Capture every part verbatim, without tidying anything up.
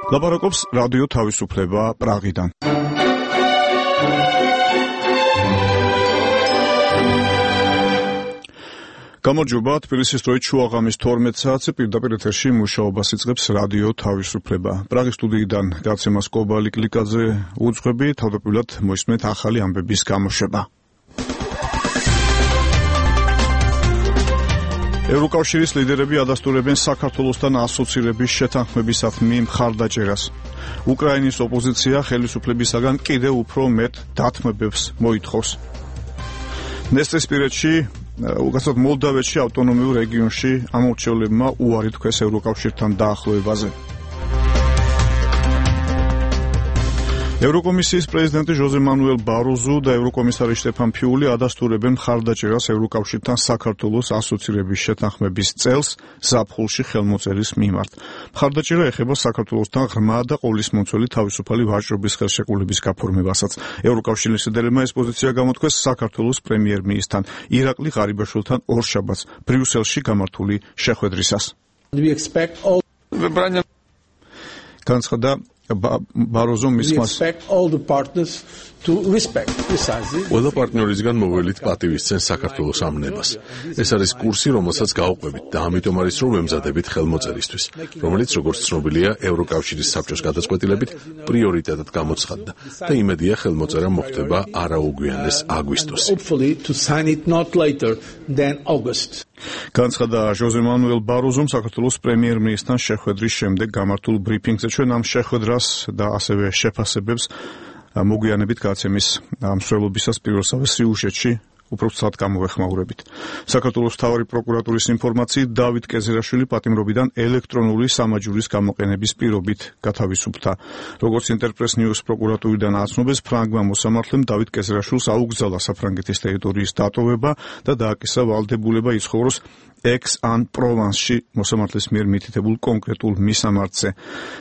ლაპარაკობს რადიო თავისუფლება პრაღიდან. გამარჯობა, თბილისის დროით შუაღამის თორმეტ საათზე პირდაპირ ეთერში მუშაობას იწყებს რადიო თავისუფლება. პრაღის სტუდიიდან გაცემას კობალი კლიკაძე უძღვები, თავდაპირველად მოისმენთ ახალი ამბების გამოშვება. ევროკავშირის ლიდერები ადასტურებენ საქართველოსთან ასოცირების შეთანხმებისადმი მხარდაჭერას. უკრაინის ოპოზიცია ხელისუფლებისაგან კიდევ უფრო მეტ დათმობებს მოითხოვს. ნესტესპირეთში უკაცრავად მოლდავეთში ავტონომიურ რეგიონში ამორჩევლებმა უარი თქვეს ევროკავშირთან დაახლოებაზე. ევროკომისიის პრეზიდენტი ჟოზე მანუელ ბაროზუ და ევროკომისარი შტეფან ფიული ადასტურებენ მხარდაჭერას ევროკავშირთან საქართველოს ასოცირების შეთანხმების წელს ზაფხულში ხელმოწერის მიმართ. მხარდაჭერა ეხება საქართველოსთან ღრმა და ყოვლისმომცველი თავისუფალი ვაჭრობის ხელშეკრულების გაფორმებასაც. ევროკავშირის ლიდერებმა ეს პოზიცია გამოთქვეს საქართველოს პრემიერ-მინისტრთან ირაკლი ღარიბაშვილთან ორშაბათს ბრიუსელში გამართული შეხვედრისას. განცხადა ბაროზომ მისმას ყველა პარტნიორისგან მოველით პატივისცემს საქართველოს ამნებას. ეს არის კურსი, რომელსაც გავყვებით და ამიტომ არის რომ ვემზადებით ხელმოწერისთვის, რომელიც როგორც ცნობილია ევროკავშირის საბჭოს გადაწყვეტილებით პრიორიტეტად გამოცხადდა და იმედია ხელმოწერა მოხდება არაუგვიანეს აგვისტოში. განცხადა ჟოზე მანუელ ბაროზომ საქართველოს პრემიერ-მინისტრთან შეხვედრის შემდეგ გამართულ ბრიფინგზე. ჩვენ ამ შეხვედრას და ასევე შეფასებებს მოგვიანებით გაცემის მსვლელობისას პირველსავე სიუჟეტში უბრალოდ გამოვეხმაურებით. საქართველოს მთავარი პროკურატურის ინფორმაციით დავით კეზერაშვილი პატიმრობიდან ელექტრონული სამაჯურის გამოყენების პირობით გათავისუფლდა. როგორც ინტერპრეს ნიუს პროკურატურიდან აცნობეს, ფრანგმა მოსამართლემ დავით კეზერაშვილს აუგზავნა საფრანგეთის ტერიტორიის დატოვება და დააკისა ვალდებულება იცხოვროს ექს-ან-პროვანსში მოსამართლის მიერ მითითებულ კონკრეტულ მისამართზე.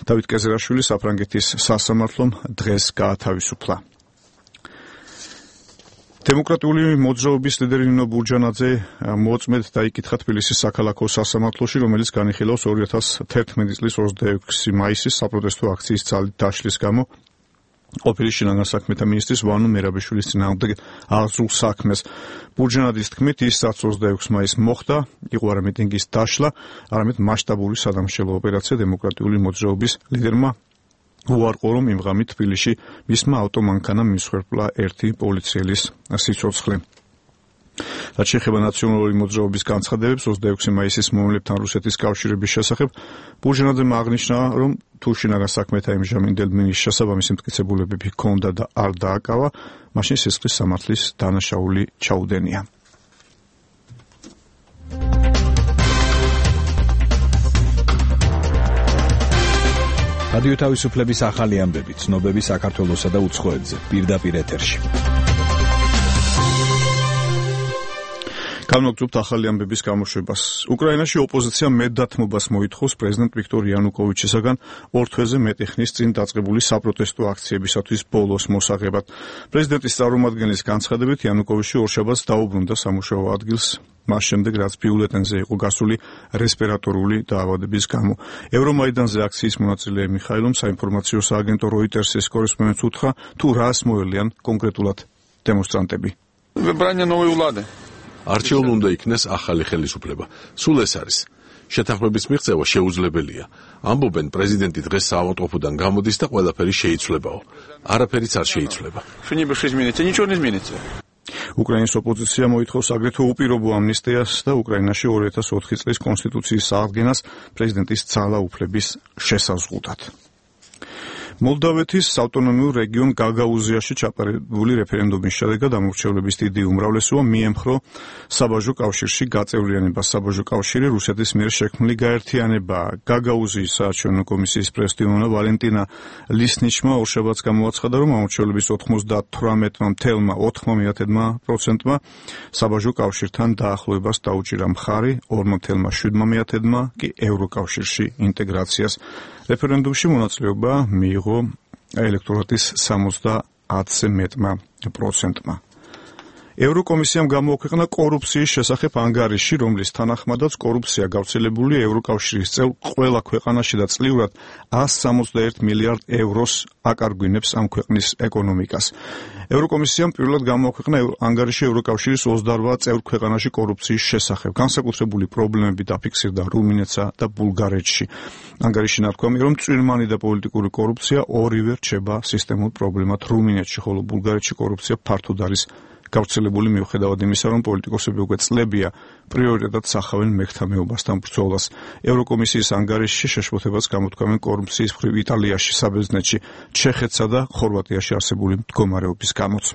დავით კეზერაშვილი საფრანგეთის სასამართლომ დღეს გაათავისუფლა. დემოკრატიული მოძრაობის ლიდერი ნინო ბურჯანაძე მოწმედ დაიკითხა თბილისის საქალაქო სასამართლოში, რომელიც განიხილავს ორი ათას თერთმეტი წლის ოცდაექვსი მაისის საპროტესტო აქციის ძალით დაშლის გამო ყოფილი შინაგან საქმეთა მინისტრის ვანო მერაბიშვილის წინააღმდეგ აღძრულ საქმეს. ბურჯანაძის თქმით, ის რაც ოცდაექვსი მაისს მოხდა, იყო არა მიტინგის დაშლა, არამედ მასშტაბური სადამშელო ოპერაცია. დემოკრატიული მოძრაობის ლიდერმა უარყო, რომ იმ ღამით თბილისში მისმა ავტომანქანამ მისხვერპლა ერთი პოლიციელის სიცოცხლე. რაც შეეხება ნაციონალური მოძრაობის განცხადებებს ოცდაექვსი მაისის მომლებთან რუსეთის კავშირების შესახებ, ბურჯანაძემ აღნიშნა, რომ თუ შინაგან საქმეთა იმჟამინდელ მინისტრს შესაბამისი მტკიცებულებები ჰქონდა და არ დააკავა, მაშინ სისხლის სამართლის დანაშაული ჩაუდენია. რადიო თავისუფლების ახალი ამბები, ცნობები საქართველოსა და უცხოეთზე, პირდაპირ ეთერში. გამოგწევთ ახალი ამბების გამოშვებას. უკრაინაში ოპოზიცია მეტდათმობას მოითხოვს პრეზიდენტ ვიქტორ იანუკოვიჩისაგან ორ თვეზე მეტი ხნის წინ დაწყებული საპროტესტო აქციებისათვის ბოლოს მოსაღებად. პრეზიდენტის წარმომადგენლის განცხადებით, იანუკოვიჩი ორშაბათს დაუბრუნდა სამუშაო ადგილს, მას შემდეგ, რაც ბიულეტენზე იყო გასული რესპირატორული დაავადების გამო. ევრომაიდანზე აქციის მონაწილე მიხაილომ საინფორმაციო სააგენტო როიტერსის კორესპონდენტს უთხრა, თუ რას მოელიან კონკრეტულად დემონსტრანტები. არჩეულ უნდა იქნეს ახალი ხელისუფლება. სულ ეს არის. შეთანხმების მიღწევა შეუძლებელია. ამბობენ, პრეზიდენტი დღეს საავადმყოფოდან გამოდის და ყველაფერი შეიცვლებაო. არაფერიც არ შეიცვლება. უკრაინის ოპოზიცია მოითხოვს აგრეთვე უპირობო ამნისტიას და უკრაინაში ორი ათას ოთხი წლის კონსტიტუციის აღდგენას პრეზიდენტის ძალაუფლების შესაზღუდად. მოლდავეთის ავტონომიურ რეგიონ გაგაუზიაში ჩატარებული რეფერენდუმის შედეგად ამორჩევლების დიდი უმრავლესობა მიემხრო საბაჟო კავშირში გაწევრიანებას. საბაჟო კავშირი რუსეთის მიერ შექმნილი გაერთიანებაა. გაგაუზიის საარჩევნო კომისიის პრეზიდენტი ვალენტინა ლისნიჩმა ორშაბათს გამოაცხადა, რომ ამორჩევლების ოცდათვრამეტი თელა ოთხ პროცენტმა საბაჟო კავშირთან დაახლოებას დაუჭირა მხარი, ორ თელა შვიდ კი ევროკავშირში ინტეგრაციას. რეფერენდუმში მონაწილეობა მიიღო ელექტორატის სამოცდაათზე მეტმა პროცენტმა. ევროკომისიამ გამოაქვეყნა კორუფციის შესახებ ანგარიში, რომლის თანახმადაც კორუფცია გავრცელებულია ევროკავშირის წევრ ყველა ქვეყანაში და წლიურად one hundred sixty-one მილიარდ ევროს აკარგვინებს ამ ქვეყნის ეკონომიკას. ევროკომისიამ პირველად გამოაქვეყნა ანგარიში ევროკავშირის ოცდაოთხ წევრ ქვეყანაში კორუფციის შესახებ. განსაკუთრებული პრობლემები დაფიქსირდა რუმინეთსა და ბულგარეთში. ანგარიში ნათქვამია, რომ წვირმანი და პოლიტიკური კორუფცია ორივე რჩება სისტემურ პრობლემად რუმინეთში, ხოლო ბულგარეთში კორუფცია ფართოდ არის გავრცელებული მიუხედავად იმისა, რომ პოლიტიკოსები უკვე წლებია პრიორიტეტად სახავენ მეხთა მეობასთან ბრძოლას. ევროკომისიის ანგარიშში შეშფოთებას გამოთქვამენ კორუფციის მხრივ იტალიაში, საბერძნეთში, ჩეხეთსა და ხორვატიაში არსებული მდგომარეობის გამოც.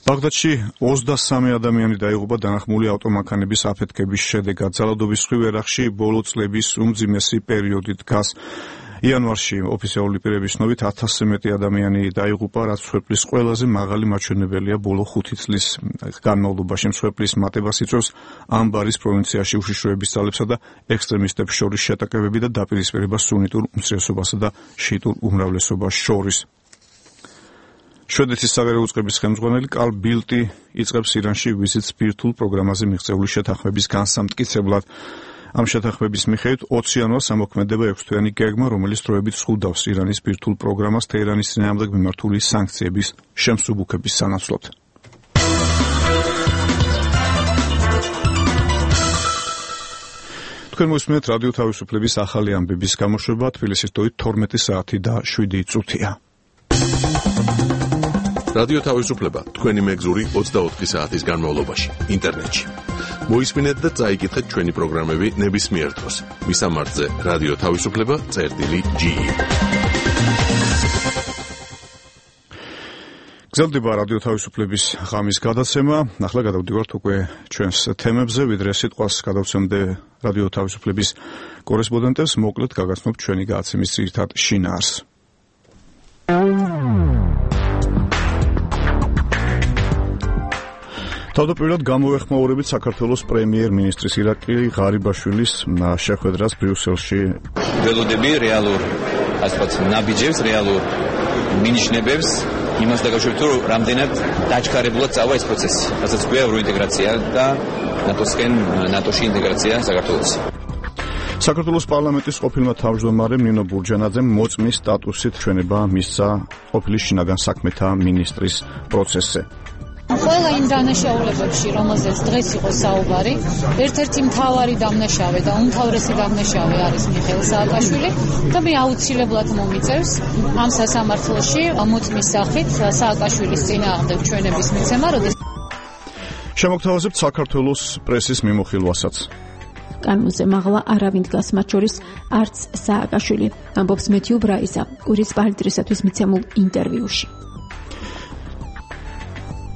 ბაღდადში ოცდასამი ადამიანი დაიღუპა დანახმული ავტომანქანების აფეთქების შედეგად. ძალადობის მხრივ ერახში ბოლო წლების უმძიმესი პერიოდი დგას. იანვარში ოფიციალური პირების ცნობით ათასზე მეტი ადამიანი დაიღუპა, რაც მსხვერპლის ყველაზე მაღალი მაჩვენებელია ბოლო ხუთი წლის განმავლობაში. მსხვერპლის მატებას იწვევს ამბარის პროვინციაში უშიშროების ძალებსა და ექსტრემისტებს შორის შეტაკებები და დაპირისპირება სუნიტურ უმცირესობასა და შიიტურ უმრავლესობას შორის. შვედეთის საგარეო უწყების ხელმძღვანელი კარლ ბილტი იწყებს ირანში ვიზიტს ბირთვულ პროგრამაზე მიღწეული შეთანხმების განსამტკიცებლად. ამ შეთანხმების მიხედვით ოცი იანვარს ამოქმედება ექვსთვიანი გეგმა, რომელიც დროებით ზღუდავს ირანის ბირთვულ პროგრამას თეირანის წინააღმდეგ მიმართული სანქციების შემსუბუქების სანაცვლოდ. თქვენ მოსმენთ რადიო თავისუფლების ახალი ამბების გამოშვება, თბილისის დროით თორმეტი საათი და შვიდი წუთია. რადიო თავისუფლება თქვენი მეგზური ოცდაოთხი საათის განმავლობაში ინტერნეტში. მოისმინეთ და წაიკითხეთ ჩვენი პროგრამები ნებისმიერ დროს. მისამართზე რადიო თავისუფლება წერტილი ჯი. გრძელდება რადიო თავისუფლების ღამის გადაცემა. ახლა გადავდივართ უკვე ჩვენს თემებზე, ვიდრე სიტყვას გადავცემდე რადიო თავისუფლების კორესპონდენტებს, მოკლედ გაგაცნობთ ჩვენი გადაცემის ძირითად შინაარსს. თავდაპირველად გამოვეხმაურებით საქართველოს პრემიერ-მინისტრის ირაკლი ღარიბაშვილის შეხვედრას ბრიუსელში. ველოდები რეალურ, ასე ვთქვათ, ნაბიჯებს, რეალურ მინიშნებებს იმას დაკავშირებით, რომ რამდენად დაჩქარებულად წავა ეს პროცესი, რასაც ქვია ევროინტეგრაცია და ნატოსკენ ნატოში ინტეგრაცია საქართველოს. საქართველოს პარლამენტის ყოფილმა თავმჯდომარემ ნინო ბურჯანაძემ მოწმის სტატუსით ჩვენება მისცა ყოფილი შინაგან საქმეთა მინისტრის პროცესზე. ყველა იმ დანაშაულებებში, რომელზეც დღეს იყო საუბარი, ერთ-ერთი მთავარი დამნაშავე და უმთავრესი დამნაშავე არის მიხეილ სააკაშვილი და მე აუცილებლად მომიწევს ამ სასამართლოში მოწმის სახით სააკაშვილის წინააღმდეგ ჩვენების მიცემა, როდეს შემოგთავაზებთ საქართველოს პრესის მიმოხილვასაც. კანონზე მაღლა არავინ დგას, მათ შორის არც სააკაშვილი, ამბობს მეთიუ ბრაიზა კვირის პალიტრისათვის მიცემულ ინტერვიუში.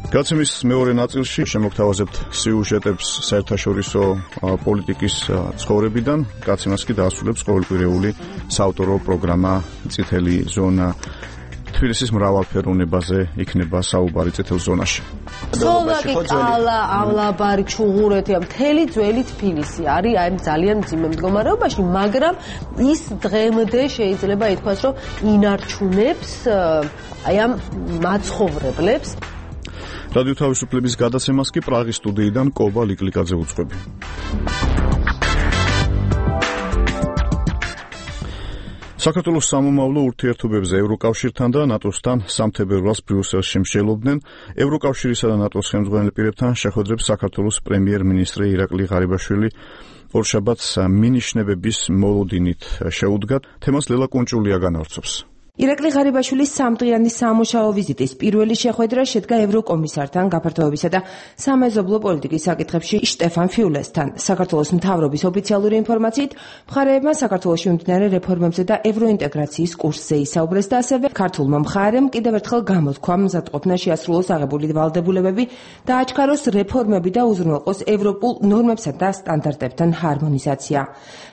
გადაცემის მეორე ნაწილში შემოგთავაზებთ სიუჟეტებს საერთაშორისო პოლიტიკის ცხოვრებიდან. გადაცემას კი დაასრულებს ყოველკვირეული საავტორო პროგრამა წითელი ზონა. თბილისის მრავალფეროვნებაზე იქნება საუბარი წითელ ზონაში. სლოვაკი, კალა, ავლაბარი, ჩუღურეთი, მთელი ძველი თბილისი არის აი ძალიან მძიმე მდგომარეობაში, მაგრამ ის დღემდე შეიძლება ითქვას, რომ ინარჩუნებს აი ამ მაცხოვრებლებს. რადიო თავისუფლების გადაცემას კი პრაღის სტუდიიდან კობა ლიკლიკაძე უძღვები. საქართველოს სამომავლო ურთიერთობებზე ევროკავშირთან და ნატოსთან სამთებერვალს ბრიუსელში მსჯელობდნენ. ევროკავშირისა და ნატოს ხელმძღვანელ პირებთან შეხვედრებს საქართველოს პრემიერ-მინისტრი ირაკლი ღარიბაშვილი ორშაბათს მინიშნებების მოლოდინით შეუდგა. თემას ლელა კუნჭულია განავრცობს. ირაკლი ღარიბაშვილის სამდღიანი სამუშაო ვიზიტის პირველი შეხვედრა შედგა ევროკომისართან გაფართოებისა და სამეზობლო პოლიტიკის საკითხებში შტეფან ფიულესთან. საქართველოს მთავრობის ოფიციალური ინფორმაციით, მხარეებმა საქართველოში მიმდინარე რეფორმებზე და ევროინტეგრაციის კურსზე ისაუბრეს და ასევე ქართულმა მხარემ კიდევ ერთხელ გამოთქვა მზადყოფნა შეასრულოს აღებული ვალდებულებები და აჩქაროს რეფორმები და უზრუნველყოს ევროპულ ნორმებსა და სტანდარტებთან ჰარმონიზაცია.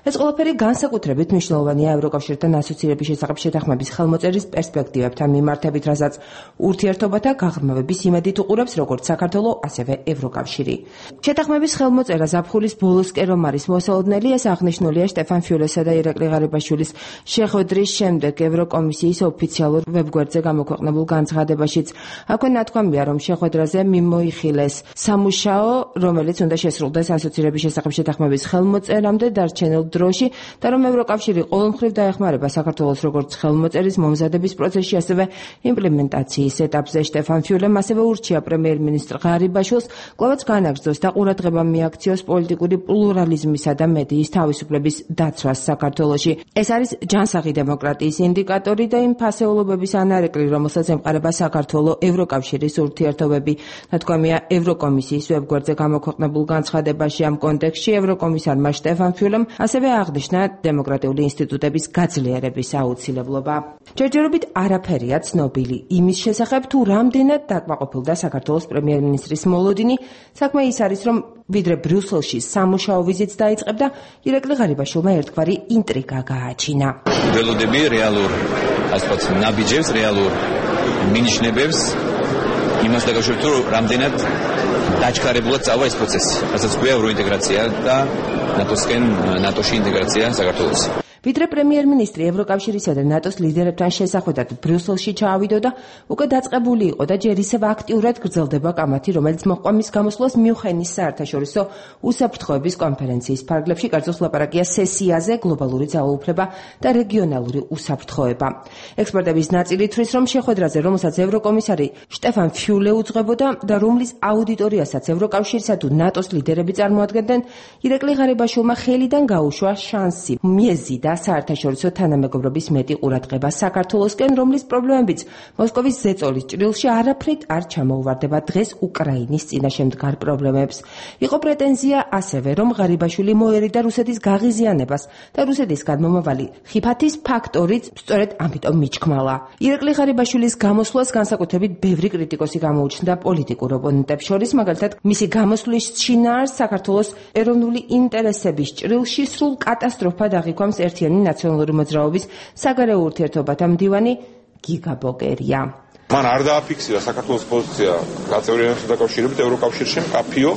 ეს ყველაფერი განსაკუთრებით მნიშვნელოვანია ევროკავშირთან ასოცირების შესახებ შეთანხმების ხელმოწერის პერსპექტივებთან მიმართებით, რასაც ურთიერთობათა გაღრმავების იმედით უყურებს როგორც საქართველო, ასევე ევროკავშირი. შეთანხმების ხელმოწერა ზაფხულის ბოლოსკენ რომ არის მოსალოდნელი, ეს აღნიშნულია შტეფან ფიულესა და ირაკლი ღარიბაშვილის შეხვედრის შემდეგ ევროკომისიის ოფიციალურ ვებგვერდზე გამოქვეყნებულ განცხადებაშიც. აქვე ნათქვამია, რომ შეხვედრაზე მიმოიხილეს სამუშაო, რომელიც უნდა შესრულდეს ასოცირების შესახებ შეთანხმების ხელმოწერამდე დარჩენილ დროში და რომ ევროკავშირი ყოველმხრივ დაეხმარება საქართველოს როგორც ხელმოწერის მომზადების პროცესში, ასევე იმპლემენტაციის ეტაპზე. შტეფან ფიულემ ასევე ურჩია პრემიერ-მინისტრ ღარიბაშვილს კვლავაც განაგრძოს და ყურადღება მიაქციოს პოლიტიკური პლურალიზმისა და მედიის თავისუფლების დაცვას საქართველოში. ეს არის ჯანსაღი დემოკრატიის ინდიკატორი და იმ ფასეულობების ანარეკლი, რომელსაც ემყარება საქართველო ევროკავშირის ურთიერთობები. ნათქვამია ევროკომისიის ვებგვერდზე გამოქვეყნებულ განცხადებაში. ამ კონტექსტში ევროკომისარმა შტეფან ფიულემ ასევე აღნიშნა დემოკრატიული ინსტიტუტების გაძლიერების აუცილებლობა. ჯერჯერობით არაფერია ცნობილი იმის შესახებ, თუ რამდენად დაკმაყოფილდა საქართველოს პრემიერ-მინისტრის მოლოდინი. საქმე ის არის, რომ ვიდრე ბრიუსელში სამუშაო ვიზიტს დაიწყებდა, ირაკლი ღარიბაშვილმა ერთგვარი ინტრიგა გააჩინა. ველოდები რეალურ, ასე ვთქვათ, ნაბიჯებს, რეალურ მინიშნებებს იმას დაკავშირებით, რომ რამდენად დაჩქარებულად წავა ეს პროცესი, რასაც ქვია ევროინტეგრაცია და ნატოსკენ ნატოში ინტეგრაცია საქართველოს. ვიდრე პრემიერ-მინისტრი ევროკავშირისა და ნატოს ლიდერებთან შესახვედრად ბრიუსელში ჩაავიდოდა, უკვე დაწყებული იყო და ჯერ ისევ აქტიურად გრძელდება კამათი, რომელიც მოჰყვა მის გამოსვლას მიუნხენის საერთაშორისო უსაფრთხოების კონფერენციის ფარგლებში. კერძოს ლაპარაკია სესიაზე, გლობალური ძალაუფლება და რეგიონალური უსაფრთხოება. ექსპერტების ნაწილი თვლის, რომ შეხვედრაზე, რომელსაც ევროკომისარი შტეფან ფიულე უძღვებოდა და რომლის აუდიტორიასაც ევროკავშირისა თუ ნატოს ლიდერები წარმოადგენდნენ, ირაკლი ღარიბაშვილმა ხელიდან გაუშვა შანსი მიეზიდა საერთაშორისო თანამეგობრობის მეტი ყურადღება საქართველოსკენ, რომლის პრობლემებიც მოსკოვის ზეწოლის ჭრილში არაფრით არ ჩამოუვარდება დღეს უკრაინის წინაშე მდგარ პრობლემებს. იყო პრეტენზია ასევე, რომ ღარიბაშვილი მოერიდა რუსეთის გაღიზიანებას და რუსეთისგან მომავალი ხიფათის ფაქტორიც სწორედ ამიტომ მიჩქმალა. ირაკლი ღარიბაშვილის გამოსვლას განსაკუთრებით ბევრი კრიტიკოსი გამოუჩნდა პოლიტიკურ ოპონენტებს შორის, მაგალითად მისი გამოსვლის შინაარს საქართველოს ეროვნული ინტერესების ჭრილში სრულ კატასტროფად აღიქვამს ერთი ნაციონალური მოძრაობის საგარეო ურთიერთობათა მდივანი გიგა ბოკერია. მან არ დააფიქსირა საქართველოს პოზიცია გაწევრიანებასთან დაკავშირებით ევროკავშირში მკაფიო.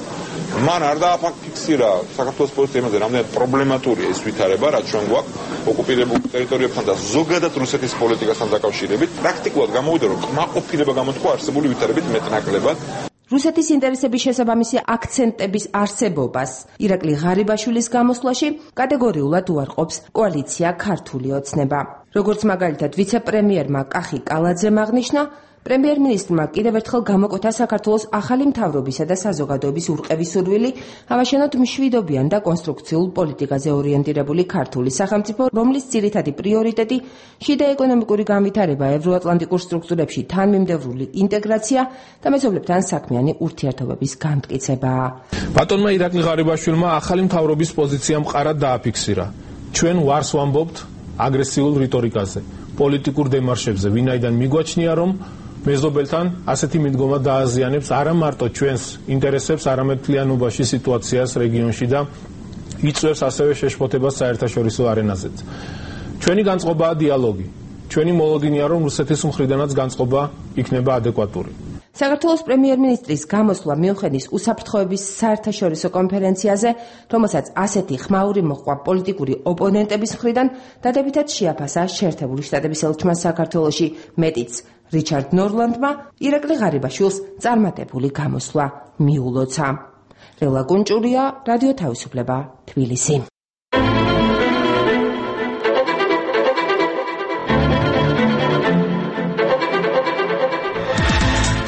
მან არ დააფიქსირა საქართველოს პოზიცია იმაზე, რამდენად პრობლემატურია ეს ვითარება, რაც ჩვენ გვაქვს ოკუპირებულ ტერიტორიებთან და ზოგადად რუსეთის პოლიტიკასთან დაკავშირებით. პრაქტიკულად გამოვიდა, რომ კმაყოფილება გამოთქვა არსებული ვითარებით მეტნაკლებად. რუსეთის ინტერესების შესაბამისი აქცენტების არსებობას ირაკლი ღარიბაშვილის გამოსვლაში კატეგორიულად უარყოფს კოალიცია ქართული ოცნება. როგორც მაგალითად ვიცე-პრემიერმა კახი კალაძემ აღნიშნა, პრემიერ-მინისტრმა კიდევ ერთხელ გამოკვეთა საქართველოს ახალი მთავრობისა და საზოგადოების ურყევის სურვილი ავაშენოთ მშვიდობიან და კონსტრუქციულ პოლიტიკაზე ორიენტირებული ქართული სახელმწიფო, რომლის ძირითადი პრიორიტეტი შიდა ეკონომიკური განვითარება, ევროატლანტიკურ სტრუქტურებში თანმიმდევრული ინტეგრაცია და მეზობლებთან საქმიანი ურთიერთობების განმტკიცებაა. ბატონმა ირაკლი ღარიბაშვილმა ახალი მთავრობის პოზიცია მყარად დააფიქსირა. ჩვენ ვარს ვამბობთ აგრესიულ რიტორიკაზე, პოლიტიკურ დემარშებზე, ვინაიდან მიგვაჩნია, რომ მეზობელთან ასეთი მიდგომა დააზიანებს არა მარტო ჩვენს ინტერესებს, არამედ მთლიანობაში სიტუაციას რეგიონში და იწვევს ასევე შეშფოთებას საერთაშორისო არენაზეც. ჩვენი განწყობაა დიალოგი. ჩვენი მოლოდინია, რომ რუსეთის მხრიდანაც განწყობა იქნება ადეკვატური. საქართველოს პრემიერ-მინისტრის გამოსვლა მიუნხენის უსაფრთხოების საერთაშორისო კონფერენციაზე, რომელსაც ასეთი ხმაური მოჰყვა პოლიტიკური ოპონენტების მხრიდან, დადებითად შეაფასა შეერთებული შტატების ელჩმა საქართველოში, მეტიც რიჩარდ ნორლანდმა ირაკლი ღარიბაშვილს წარმატებული გამოსვლა მიულოცა. რელა კუნჭურია, რადიო თავისუფლება, თბილისი.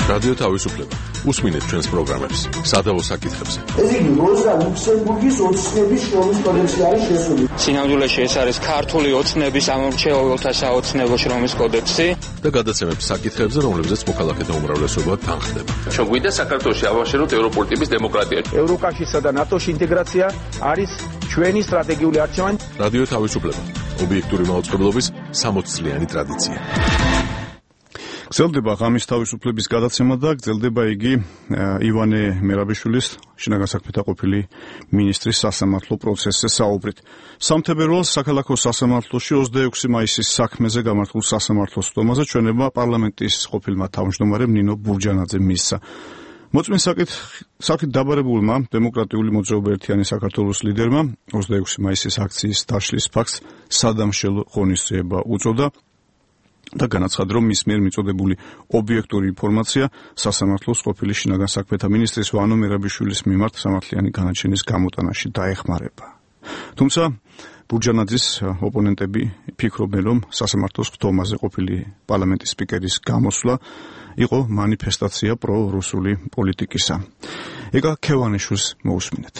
რადიო თავისუფლება. უსმინეთ ჩვენს პროგრამებს. სადავო საკითხებზე. ეს იგი როზა ლუქსემბურგის ოცნების შრომის კოდექსი არის შესული. სინამდვილეში ეს არის ქართული ოცნების ამორჩეულთა საოცნებო შრომის კოდექსი და გადაცემებს საკითხებზე, რომლებზეც მოქალაქეთა უმრავლესობა თანხდება. ჩვენ გვინდა საქართველოში ავაშენოთ ევროპული ტიპის დემოკრატია. ევროკავშირსა და ნატოს ინტეგრაცია არის ჩვენი სტრატეგიული არჩევანი. რადიო თავისუფლება. ობიექტური მაუწყებლობის სამოცწლიანი ტრადიცია. გრძელდება ღამის თავისუფლების გადაცემა და გრძელდება იგი ივანე მერაბიშვილის შინაგან საქმეთა ყოფილი მინისტრის სასამართლო პროცესზე საუბრით. სამთებერვალს საქალაქო სასამართლოში ოცდაექვსი მაისის საქმეზე გამართულ სასამართლო სხდომაზე ჩვენება პარლამენტის ყოფილმა თავმჯდომარემ ნინო ბურჯანაძემ მისცა. მოწმის საკითხით დაბარებულმა დემოკრატიული მოძრაობა ერთიანი საქართველოს ლიდერმა ოცდაექვსი მაისის აქციის დაშლის ფაქტს სადამშელო ღონისძიება უწოდა და განაცხადა, რომ მის მიერ მიწოდებული ობიექტური ინფორმაცია სასამართლოს ყოფილი შინაგან საქმეთა მინისტრის ვანო მერაბიშვილის მიმართ სამართლიანი განაჩენის გამოტანაში დაეხმარება. თუმცა ბურჯანაძის ოპონენტები ფიქრობენ, რომ სასამართლოს სხდომაზე ყოფილი პარლამენტის სპიკერის გამოსვლა იყო მანიფესტაცია პრორუსული პოლიტიკისა. ეკა ქევანიშვილს მოусმინეთ.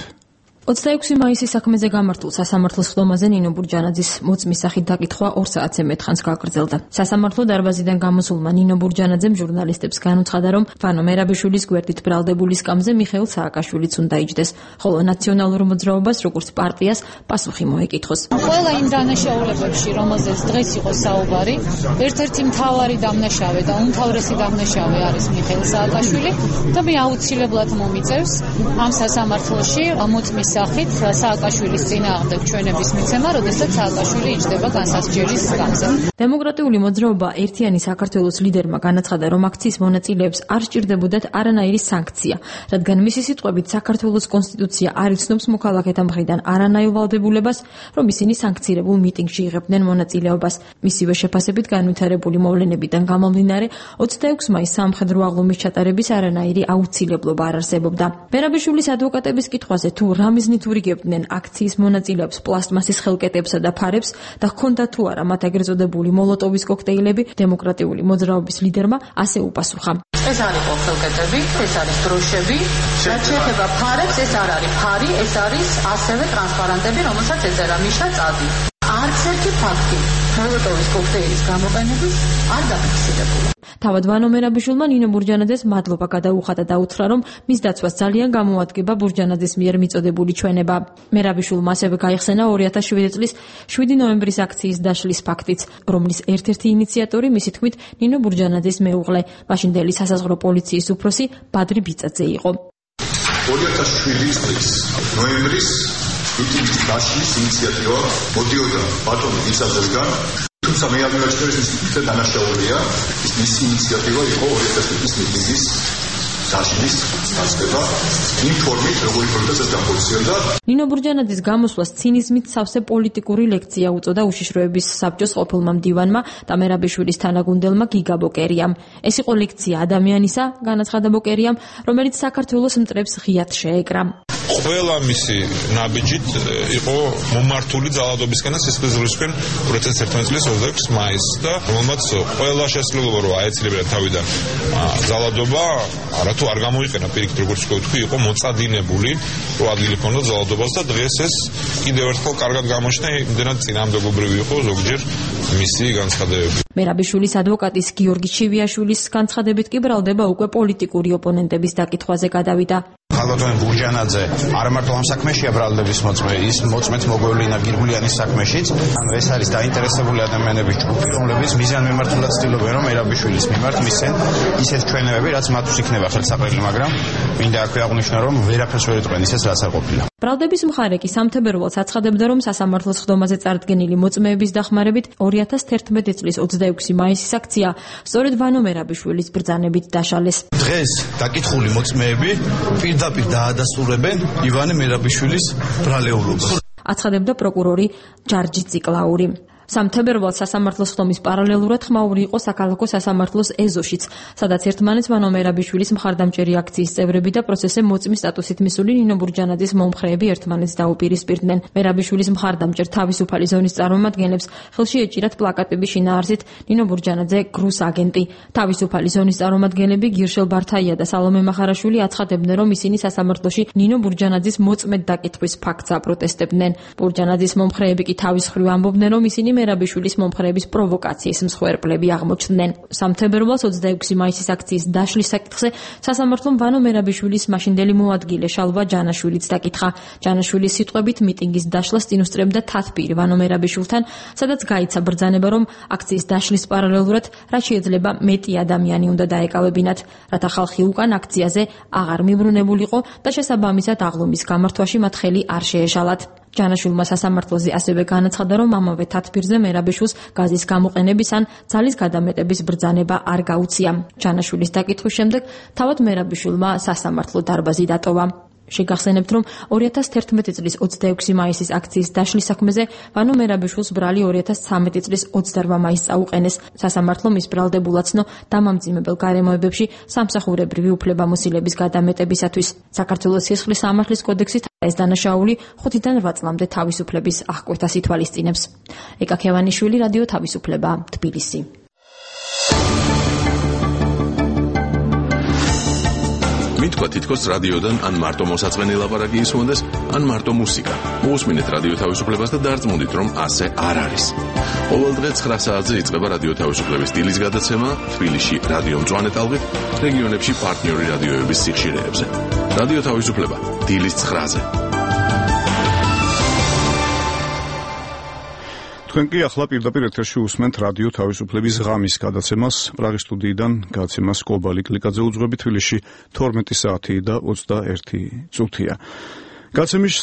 ოცდაექვსი მაისის საქმეზე გამართულ სასამართლო სხდომაზე ნინო ბურჯანაძის მოწმის სახით დაკითხვა ორ საათზე მეტხანს გაგრძელდა. სასამართლო დარბაზიდან გამოსულმა ნინო ბურჯანაძემ ჟურნალისტებს განუცხადა, რომ ვანო მერაბიშვილის გვერდით ბრალდებული სკამზე მიხეილ სააკაშვილიც უნდა იჯდეს, ხოლო ნაციონალურ მოძრაობას როგორც პარტიას პასუხი მოეკითხოს. ყველა იმ დანაშაულებებში, რომელზეც დღეს იყო საუბარი, ერთ-ერთი მთავარი დამნაშავე და უმთავრესი დამნაშავე არის მიხეილ სააკაშვილი და მე აუცილებლად მომიწევს ამ სასამართლოში მოწმის სახით სააკაშვილის წინააღმდეგ ჩვენების მიცემა, როდესაც სააკაშვილი იჯდება განსასჯელის სკამზე. დემოკრატიული მოძრაობა ერთიანი საქართველოს ლიდერმა განაცხადა, რომ აქციის მონაწილეებს არ სჭირდებოდათ არანაირი სანქცია, რადგან მისი სიტყვებით საქართველოს კონსტიტუცია არ იცნობს მოქალაქეთა მხრიდან არანაირ ვალდებულებას, რომ ისინი სანქცირებულ მიტინგში იღებდნენ მონაწილეობას. მისივე შეფასებით განვითარებული მოვლენებიდან გამომდინარე, ოცდაექვსი მაისს სამხედრო აღლუმის ჩატარების არანაირი აუცილებლობა არ არსებობდა. მერაბიშვილის ადვოკატების კითხვაზე თუ რა მიზნით ურიგებდნენ აქციის მონაწილეებს პლასტმასის ხელკეტებსა და ფარებს და ჰქონდა თუ არა მათ ეგრეთ წოდებული მოლოტოვის კოქტეილები, დემოკრატიული მოძრაობის ლიდერმა ასე უპასუხა. ეს არის ხელკეტები, ეს არის დროშები, რაც შეეხება ფარებს, ეს არ არის ფარი, ეს არის ასევე ტრანსპარანტები, რომელსაც ეწერა მიშა წადი. არც ერთი ფაქტი მოლოტოვის კოქტეილის გამოყენების არ დაფიქსირებულა. თავად ვანო მერაბიშვილმა ნინო ბურჯანაძეს მადლობა გადაუხადა და უთხრა, რომ მის დაცვას ძალიან გამოადგება ბურჯანაძის მიერ მიწოდებული ჩვენება. მერაბიშვილმა ასევე გაიხსენა ორი ათას შვიდი წლის შვიდი ნოემბრის აქციის დაშლის ფაქტიც, რომლის ერთ-ერთი ინიციატორი მისი თქმით ნინო ბურჯანაძის მეუღლე, მაშინდელი სასაზღვრო პოლიციის უფროსი ბადრი ბიწაძე იყო. ორი ათას შვიდი წლის ნოემბრის მიტინგის დაშლის ინიციატივა მოდიოდა ბატონი ბიწაძესგან, თუმცა მე არ მივაჩნევ ის მითითე დანაშაულია, ის მისი ინიციატივა იყო ორი ათას შვიდი წლის მიტინგის დაშლის დასწრება, იმ ფორმით, როგორი პროცესს განხორციელდა. ნინო ბურჯანაძის გამოსვლას ცინიზმით სავსე პოლიტიკური ლექცია უწოდა უშიშროების საბჭოს ყოფილმა მდივანმა და მერაბიშვილის თანაგუნდელმა გიგა ბოკერიამ. ეს იყო ლექცია ადამიანისა, განაცხადა ბოკერიამ, რომელიც საქართველოს მტრებს ღიად შეეკრა. ყველა მისი ნაბიჯით იყო მომართული ძალადობისკენ და სისხლისღვრისკენ ორი ათას ერთმანეტ წლის ოცდაექვსი მაისს და რომელმაც ყველა შესაძლებლობა რომ აეცილებინა თავიდან ძალადობა, არათუ არ გამოიყენა პირიქით როგორც ვთქვი, იყო მოწადინებული, რომ ადგილი ჰქონდა ძალადობას და დღეს ეს კიდევ ერთხელ კარგად გამოჩნდა, იმდენად წინააღმდეგობრივი იყო ზოგჯერ მისი განცხადებები. მერაბიშვილის ადვოკატის გიორგი ჩივიაშვილის განცხადებით კი ბრალდება უკვე პოლიტიკური ოპონენტების დაკითხვაზე გადავიდა. ხალბატონ ბურჯანაძე არ მარტო ამ საქმეშია ბრალდების მოწმე, ის მოწმეთ მოგვევლინა გირგულიანის საქმეშიც. ანუ ეს არის დაინტერესებული ადამიანების ჯგუფი, რომლებიც მიზანმიმართულად ცდილობენ, რომ მერაბიშვილის მიმართ მისცენ ისეთ ჩვენებები, რაც მათთვის იქნება ხელსაყრელი, მაგრამ მინდა აქვე აღვნიშნო, რომ ვერაფერს ვერ იტყვენ ისეთ, რაც არ ყოფილა. ბრალდების მხარე კი სამთებერვალს აცხადებდა, რომ სასამართლოს სხდომაზე წარდგენილი მოწმეების დახმარებით ორი ათას თერთმეტი წლის ოცდაექვსი მაისის აქცია სწორედ ვანო მერაბიშვილის ბრძანებით დაშალეს. დღეს დაკითხული მოწმეები პირდაპირ დაადასტურებენ ივანე მერაბიშვილის ბრალეულობას. აცხადებდა პროკურორი ჯარჯი ციკლაური. სამთებერვალს სასამართლოს სხდომის პარალელურად ხმაური იყო საქალაქო სასამართლოს ეზოშიც, სადაც ერთმანეთს ვანო მერაბიშვილის მხარდამჭერი აქციის წევრები და პროცესზე მოწმის სტატუსით მისული ნინო ბურჯანაძის მომხრეები ერთმანეთს დაუპირისპირდნენ. მერაბიშვილის მხარდამჭერ თავისუფალი ზონის წარმომადგენლებს ხელში ეჭირათ პლაკატები შინაარსით ნინო ბურჯანაძე გრუს აგენტი. თავისუფალი ზონის წარმომადგენლები გირშელ ბართაია და სალომე მახარაშვილი აცხადებდნენ, რომ ისინი სასამართლოში ნინო ბურჯანაძის მოწმედ დაკითხვის ფაქტს აპროტესტებდნენ. ბურჯანაძის მომხრეები კი თავის მხრივ ამბობდნენ, რომ ისინი მერაბიშვილის მომხრეების პროვოკაციის მსხვერპლები აღმოჩნდნენ. სამფერლოს ოცდაექვსი მაისის აქციის დაშლის საკითხზე სასამართლომ ვანო მერაბიშვილის მაშინდელი მოადგილე შალვა ჯანაშვილიც დაკითხა. ჯანაშვილის სიტყვებით მიტინგის დაშლას წინ უსწრებდა თათბირი ვანო მერაბიშვილთან, სადაც გაიცა ბრძანება, რომ აქციის დაშლის პარალელურად რაც შეიძლება მეტი ადამიანი უნდა დაეკავებინათ, რათა ხალხი უკან აქციაზე აღარ მიბრუნებულიყო და შესაბამისად აღლუმის გამართვაში მათ ხელი არ შეეშალათ. ჯანაშვილმა სასამართლოზე ასევე განაცხადა, რომ ამავე თათბირზე მერაბიშვილს გაზის გამოყენების ან ძალის გადამეტების ბრძანება არ გაუწია. ჯანაშვილის დაკითხვის შემდეგ თავად მერაბიშვილმა სასამართლო დარბაზი დატოვა. შეგახსენებთ, რომ ორი ათას თერთმეტი წლის ოცდაექვსი მაისის აქციის დაშლის საქმეზე ვანო მერაბიშვილს ბრალი ორი ათას ცხრამეტი წლის ოცდარვა მაისს წაუყენეს. სასამართლომ ის ბრალდებულაცნო დამამძიმებელ გარემოებებში სამსახურებრივი უფლებამოსილების გადამეტებისათვის. საქართველოს სისხლის სამართლის კოდექსით ეს დანაშაული ხუთიდან რვა წლამდე თავისუფლების აღკვეთას ითვალისწინებს. ეკა ქევანიშვილი, რადიო თავისუფლება, თბილისი. მითქვა თითქოს რადიოდან ან მარტო მოსაწყენი ლაპარაკი ისმონდეს, ან მარტო მუსიკა. მოусმინეთ რადიო თავისუფლებას და დარწმუნდით, რომ ასე არ არის. ყოველ დღე ცხრა საათზე იწყება რადიო თავისუფლების დილის გადაცემა თბილისში რადიო მწვანე ტალღით, რეგიონებში პარტნიორი რადიოების სიხშირეებზე. რადიო თავისუფლება დილის ცხრაზე. თქვენ კი ახლა პირდაპირ ეთერში უსმენთ რადიო თავისუფლების ღამის გადაცემას. პრაღის სტუდიიდან გადაცემას კობალი კლიკაძე უძღვები. თბილისში თორმეტი საათი და ოცდაერთი წუთია. გადაცემის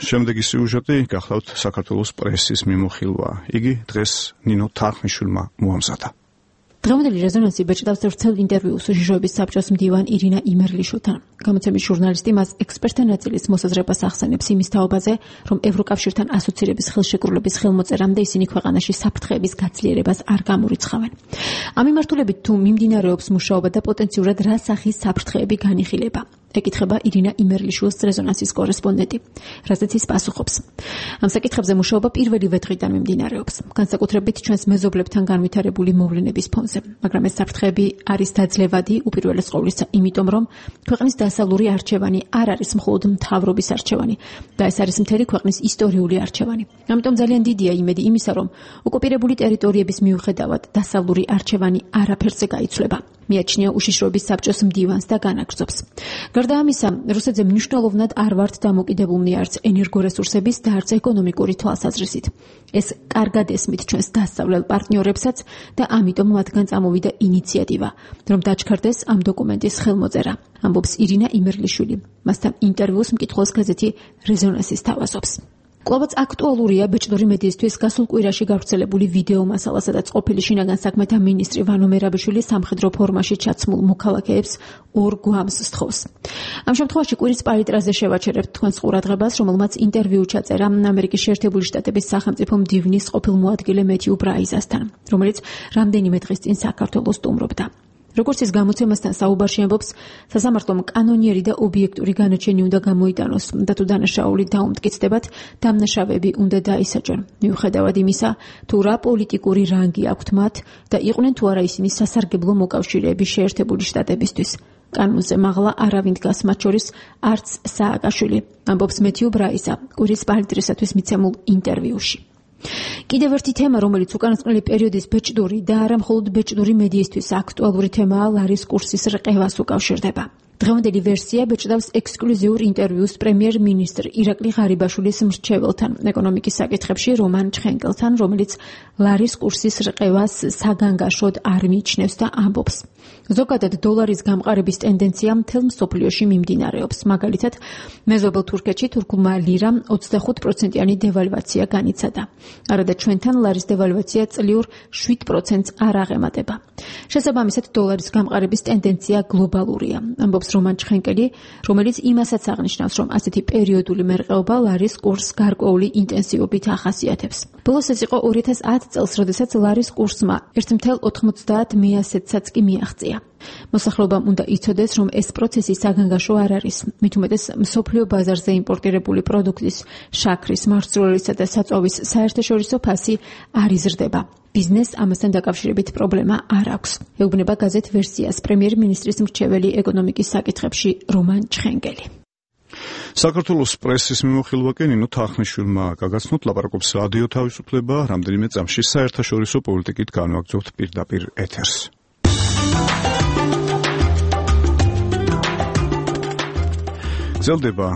შემდეგი სიუჟეტი გახლავთ საქართველოს პრესის მიმოხილვა. იგი დღეს ნინო თარხმიშვილმა მოამზადა. დღევანდელი რეზონანსი ბეჭდავს ვრცელ ინტერვიუს უშიშროების საბჭოს მდივან ირინა იმერლიშვილთან. გამოცემის ჟურნალისტი მას ექსპერტთა ნაწილის მოსაზრებას ახსენებს იმის თაობაზე, რომ ევროკავშირთან ასოცირების ხელშეკრულების ხელმოწერამდე ისინი ქვეყანაში საფრთხეების გაცლიერებას არ გამორიცხავენ. ამ მიმართულებით თუ მიმდინარეობს მუშაობა და პოტენციურად რა სახის საფრთხეები განიხილება? ეკითხება ირინა იმერლიშვილის რეზონანსის კორესპონდენტი, რასაც ის პასუხობს. ამ საკითხებზე მუშაობა პირველივე დღიდან მიმდინარეობს, განსაკუთრებით ჩვენს მეზობლებთან განვითარებული მოვლენების ფონზე, მაგრამ ეს საფრთხეები არის დაძლევადი უპირველეს ყოვლისა, იმიტომ რომ ქვეყნის დასავლური არჩევანი არ არის მხოლოდ მთავრობის არჩევანი და ეს არის მთელი ქვეყნის ისტორიული არჩევანი. ამიტომ ძალიან დიდია იმედი იმისა, რომ ოკუპირებული ტერიტორიების მიუხედავად დასავლური არჩევანი არაფერზე გაიცვლება. მიაჩნია უშიშროების საბჭოს მდივანს და განაგრძობს. გარდა ამისა, რუსეთზე მნიშვნელოვნად არ ვართ დამოკიდებულნი არც ენერგორესურსების და არც ეკონომიკური თვალსაზრისით. ეს კარგად ესმით ჩვენს დასავლელ პარტნიორებსაც და ამიტომ მათგან წამოვიდა ინიციატივა, რომ დაჩქარდეს ამ დოკუმენტის ხელმოწერა, ამბობს ირინა იმერლიშვილი. მასთან ინტერვიუს მკითხველს გაზეთი რეზონანსის თავაზობს. კვლავაც აქტუალურია ბეჭდური მედიისთვის გასულ კვირაში გავრცელებული ვიდეო მასალა, სადაც ყოფილი შინაგან საქმეთა მინისტრი ვანო მერაბიშვილი სამხედრო ფორმაში ჩაცმულ მოქალაქეებს ორ გვამს სთხოვს. ამ შემთხვევაში კვირის პალიტრაზე შევაჩერებთ თქვენს ყურადღებას, რომელმაც ინტერვიუ ჩაწერა ამერიკის შეერთებული შტატების სახელმწიფო მდივნის ყოფილ მოადგილე მეთიუ ბრაიზასთან, რომელიც რამდენიმე დღის წინ საქართველოს სტუმრობდა. როგორც ის გამოცემასთან საუბარში ამბობს, სასამართლომ კანონიერი და ობიექტური განაჩენი უნდა გამოიტანოს და თუ დანაშაული დაუმტკიცდებათ, დამნაშავეები უნდა დაისაჯონ. მიუხედავად იმისა, თუ რა პოლიტიკური რანგი აქვთ მათ და იყვნენ თუ არა ისინი სასარგებლო მოკავშირეები შეერთებული შტატებისთვის. კანონზე მაღლა არავინ დგას, მათ შორის არც სააკაშვილი, ამბობს მეთიუ ბრაიზა კვირის პალიტრისათვის მიცემულ ინტერვიუში. კიდევ ერთი თემა, რომელიც უკანასკნელი პერიოდის ბეჭდური და არა მხოლოდ ბეჭდური მედიისთვის აქტუალური თემაა, ლარის კურსის რყევას უკავშირდება. დღევანდელი ვერსია ბეჭდავს ექსკლუზიურ ინტერვიუს პრემიერ-მინისტრ ირაკლი ღარიბაშვილის მრჩეველთან ეკონომიკის საკითხებში რომან ჩხენკელთან, რომელიც ლარის კურსის რყევას საგანგაშოდ არ მიიჩნევს და ამბობს. ზოგადად დოლარის გამყარების ტენდენცია მთელ მსოფლიოში მიმდინარეობს. მაგალითად, მეზობელ თურქეთში თურქულმა ლირამ ოცდახუთ პროცენტიანი დევალვაცია განიცადა. არადა ჩვენთან ლარის დევალვაცია წლიურ შვიდ პროცენტს არ აღემატება. შესაბამისად, დოლარის გამყარების ტენდენცია გლობალურია, ამბობს რომან ჩხენკელი, რომელიც იმასაც აღნიშნავს, რომ ასეთი პერიოდული მერყეობა ლარის კურსს გარკვეული ინტენსივობით ახასიათებს. ბოლოს ეს იყო ორი ათას ათი წელს, როდესაც ლარის კურსმა ერთ ათას ოცდაათი მეასეთსაც კი მიაღწია. მოსახლეობამ უნდა იცოდეს, რომ ეს პროცესი საგანგაშო არ არის. მით უმეტეს მსოფლიო ბაზარზე იმპორტირებული პროდუქტის, შაქრის, მარცვლეულისა და საწვავის საერთაშორისო ფასი არ იზრდება. ბიზნესს ამასთან დაკავშირებით პრობლემა არ აქვს. ეუბნება გაზეთ ვერსიას პრემიერ-მინისტრის მრჩეველი ეკონომიკის საკითხებში რომან ჩხენკელი. საქართველოს პრესის მიმოხილვა კი ნინო თახნიშვილმა გაგაცნოთ, ლაპარაკობს რადიო თავისუფლება, რამდენიმე წამში საერთაშორისო პოლიტიკით განვაგრძობთ პირდაპირ ეთერს. გრძელდება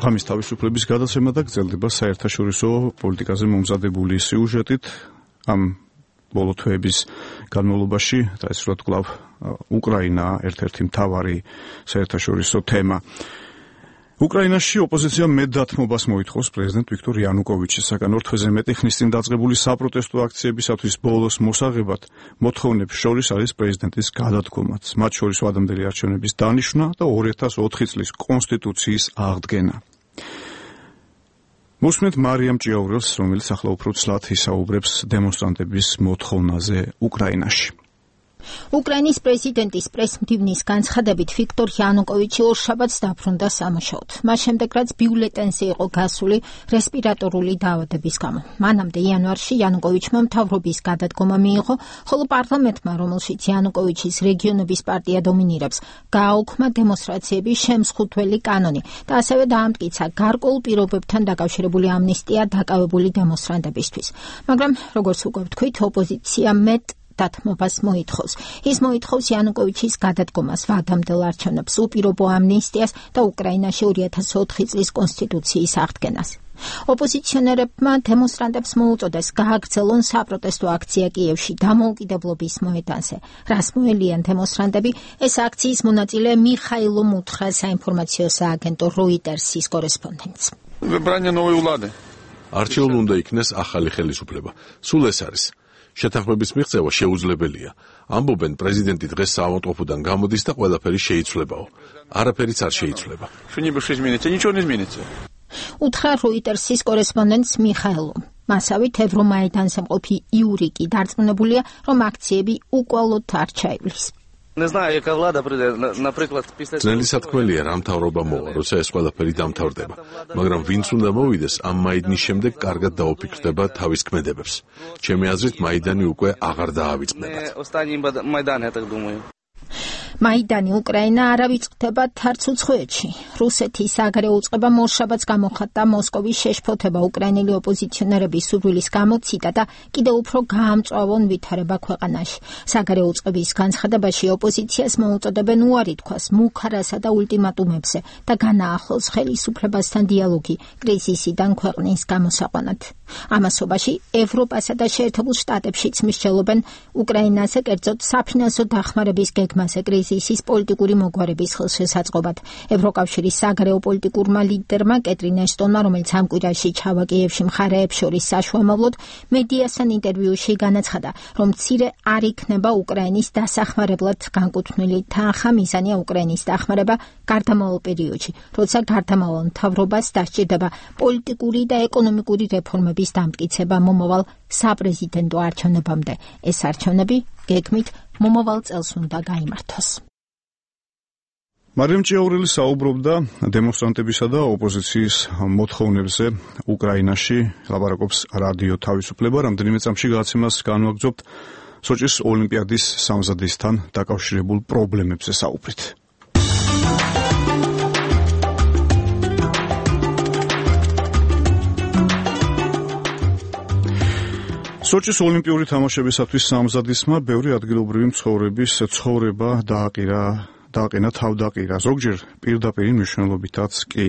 ღამის თავისუფლების გადაცემა და გრძელდება საერთაშორისო პოლიტიკაზე მომზადებული სიუჟეტით ამ ბოლო თვეების განმავლობაში, დაესრულა კვლავ უკრაინა ერთ-ერთი მთავარი საერთაშორისო თემა. უკრაინაში ოპოზიცია მეტ დათმობას მოითხოვს პრეზიდენტ ვიქტორ იანუკოვიჩისაგან. ორ თვეზე მეტი ხნის წინ დაწყებული საპროტესტო აქციებისათვის ბოლოს მოსაღებად მოთხოვნებს შორის არის პრეზიდენტის გადადგომაც, მათ შორის ვადამდელი არჩევნების დანიშვნა და ორი ათას ოთხი წლის კონსტიტუციის აღდგენა. მოსმენთ მარიამ ჭიაურელს, რომელიც ახლა უფრო ცლად ისაუბრებს დემონსტრანტების მოთხოვნაზე უკრაინაში. უკრაინის პრეზიდენტის პრესმდივნის განცხადებით ვიქტორ იანუკოვიჩი ორშაბათს დაბრუნდა სამუშაოდ. მას შემდეგ, რაც ბიულეტენზე იყო გასული რესპირატორული დაავადების გამო. მანამდე იანვარში იანუკოვიჩმა მთავრობის გადადგომა მიიღო, ხოლო პარლამენტმა, რომელშიც იანუკოვიჩის რეგიონების პარტია დომინირებს, გააუქმა დემონსტრაციების შემსხუთველი კანონი და ასევე დაამტკიცა გარკვეულ პირობებთან დაკავშირებული ამნისტია დაკავებული დემონსტრანტებისთვის. მაგრამ, როგორც უკვე ვთქვით, ოპოზიცია მეტ დათმობას მოითხოვს. ის მოითხოვს იანუკოვიჩის გადადგომას, ვადამდელ არჩევნებს, უპირობო ამნისტიას და უკრაინაში ორი ათას ოთხი წლის კონსტიტუციის აღდგენას. ოპოზიციონერებმა დემონსტრანტებს მოუწოდეს გააგრძელონ საპროტესტო აქცია კიევში დამოუკიდებლობის მოედანზე. რას მოელიან დემონსტრანტები, ეს აქციის მონაწილე მიხაილო მუთხა საინფორმაციო სააგენტო როიტერსის კორესპონდენტს. არჩეულ უნდა იქნეს ახალი ხელისუფლება. სულ ეს არის. შეთანხმების მიღწევა შეუძლებელია. ამბობენ, პრეზიდენტი დღეს საავადმყოფოდან გამოდის და ყველაფერი შეიცვლებაო. არაფერიც არ შეიცვლება. უთხრა როიტერსის კორესპონდენტს მიხაილო. მასავით ევრომაიდანზე მყოფი იურიკი დარწმუნებულია, რომ აქციები უკვალოდ არ ჩაივლის. ძნელი სათქმელია რა მთავრობა მოვა, როცა ეს ყველაფერი დამთავრდება, მაგრამ ვინც უნდა მოვიდეს, ამ მაიდნის შემდეგ კარგად დაუფიქრდება თავის ქმედებებს. ჩემი აზრით, მაიდანი უკვე აღარ დაავიწყდება. მაიდანი უკრაინა არ ავიწყდება თარც უცხოეთში. რუსეთის საგარეო უწყებამ ორშაბათს გამოხატა მოსკოვის შეშფოთება უკრაინელი ოპოზიციონერების სურვილის გამოციტა და კიდევ უფრო გაამწვავონ ვითარება ქვეყანაში. საგარეო უწყების განცხადებაში ოპოზიციას მოუწოდებენ უარი თქვას მუქარასა და ულტიმატუმებზე და განაახლოს ხელისუფლებასთან დიალოგი კრიზისიდან ქვეყნის გამოსაყვანად. ამასობაში ევროპასა და შეერთებულ შტატებშიც მსჯელობენ უკრაინაზე, კერძოდ საფინანსო დახმარების გეგმაზე კრიზისის პოლიტიკური მოგვარების ხელშესაწყობად. ევროკავშირის საგარეო პოლიტიკურმა ლიდერმა კეტრინ აშტონმა, რომელიც ამ კვირაში ჩავა კიევში მხარეებს შორის საშუამავლოდ, მედიასთან ინტერვიუში განაცხადა, რომ მცირე არ იქნება უკრაინის დასახმარებლად განკუთვნილი თანხა. მიზანია უკრაინის დახმარება გარდამავალ პერიოდში, როცა გარდამავალ მთავრობას დასჭირდება პოლიტიკური და ეკონომიკური რეფორმების დამტკიცება მომავალ საპრეზიდენტო არჩევნებამდე. ეს არჩევნები გეგმით მომავალ წელს უნდა გაიმართოს. მარიამ ჭიაურელი საუბრობდა დემონსტრანტებისა და ოპოზიციის მოთხოვნებზე უკრაინაში, ლაპარაკობს რადიო თავისუფლება, რამდენიმე წამში გადაცემას განვაგრძობთ სოჭის ოლიმპიადის სამზადისთან დაკავშირებულ პრობლემებზე საუბრით. სოჭის ოლიმპიური თამაშებისათვის სამზადისმა ბევრი ადგილობრივი მცხოვრების ცხოვრება დააყირა, დააყენა თავდაყირა, ზოგჯერ პირდაპირი მნიშვნელობითაც კი.